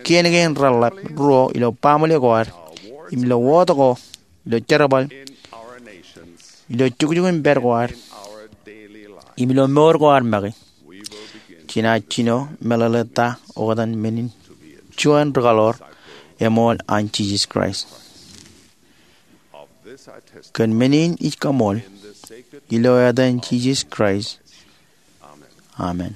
kien kein reḷḷap ruo ilo baaṃle ko ad, im ilo wōt ko, ilo jerbal, ilo jukjuk in pād ko ad, im ilo mour ko ad make, jenaaj jino meḷeḷe ta oktak men in juon ri-kōḷoor eṃool an Jisōs Kraist. Kōn men in ij kaṃool ilo etan Jisōs Kraist. Amen.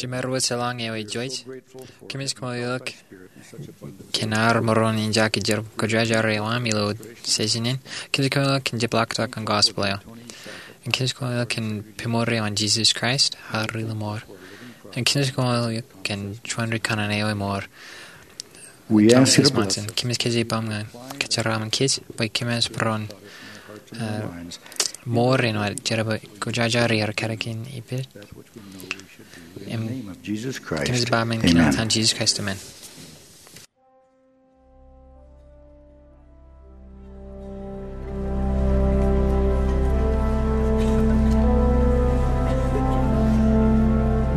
Jemād wōt eḷaññe ewi Joyce, kōmij kaṃṃoolol eok kōn ad maroñ in jake jar kōjajari eo aṃ ilo season in. Kōmij kaṃṃoolol eok kōn jepḷaaktok an gospel eo. Im kōmij kaṃṃoolol eok kōn pemorri eo an Jesus Christ, ad ri lọmọọr. Im kōmij kaṃṃoolol eok kōn juon ri kanaan eo emour. We ask you to bless us. Kōmij kōjparok ñan kōjparok ñan kōj bwe kōmij bar mour āinwōt jerbal kōjajari ad kar kein ippān. Im kōmij ba men kōn etan Jesus Christ, amen.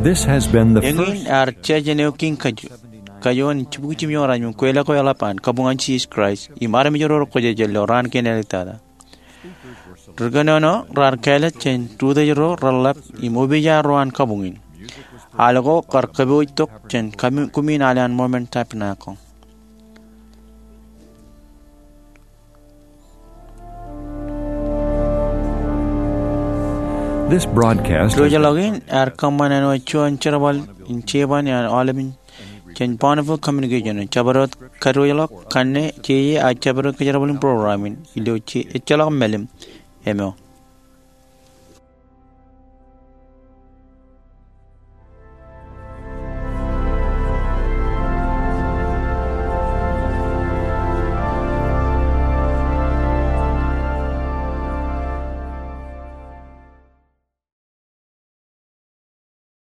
This has been the first. Eñin ear jej eo kiiñ kajuon in jibukwi jimjuon raṇ im kweilọk eḷap an kabuñ an Jesus Christ im armej ro rekwōjarjar ilo raan kein āliktata. Ri kōnono raar kāālōt jān ri-utiej ro reḷḷap im opiij ro an kabuñ in. Al ko kar kōpooj tok jān kumi-, kumiin al an Mormon Tabernacle. This broadcast has been. Diwōjḷọk in ear kōṃṃan āinwōt juon jerbal in jeban eo an aolepān jān Bonneville Communication. Jabdewōt kadiwōjḷọk kanne jeje ak jabdewōt kōjerbal in program in ilo je ejjeḷọk mālim eo.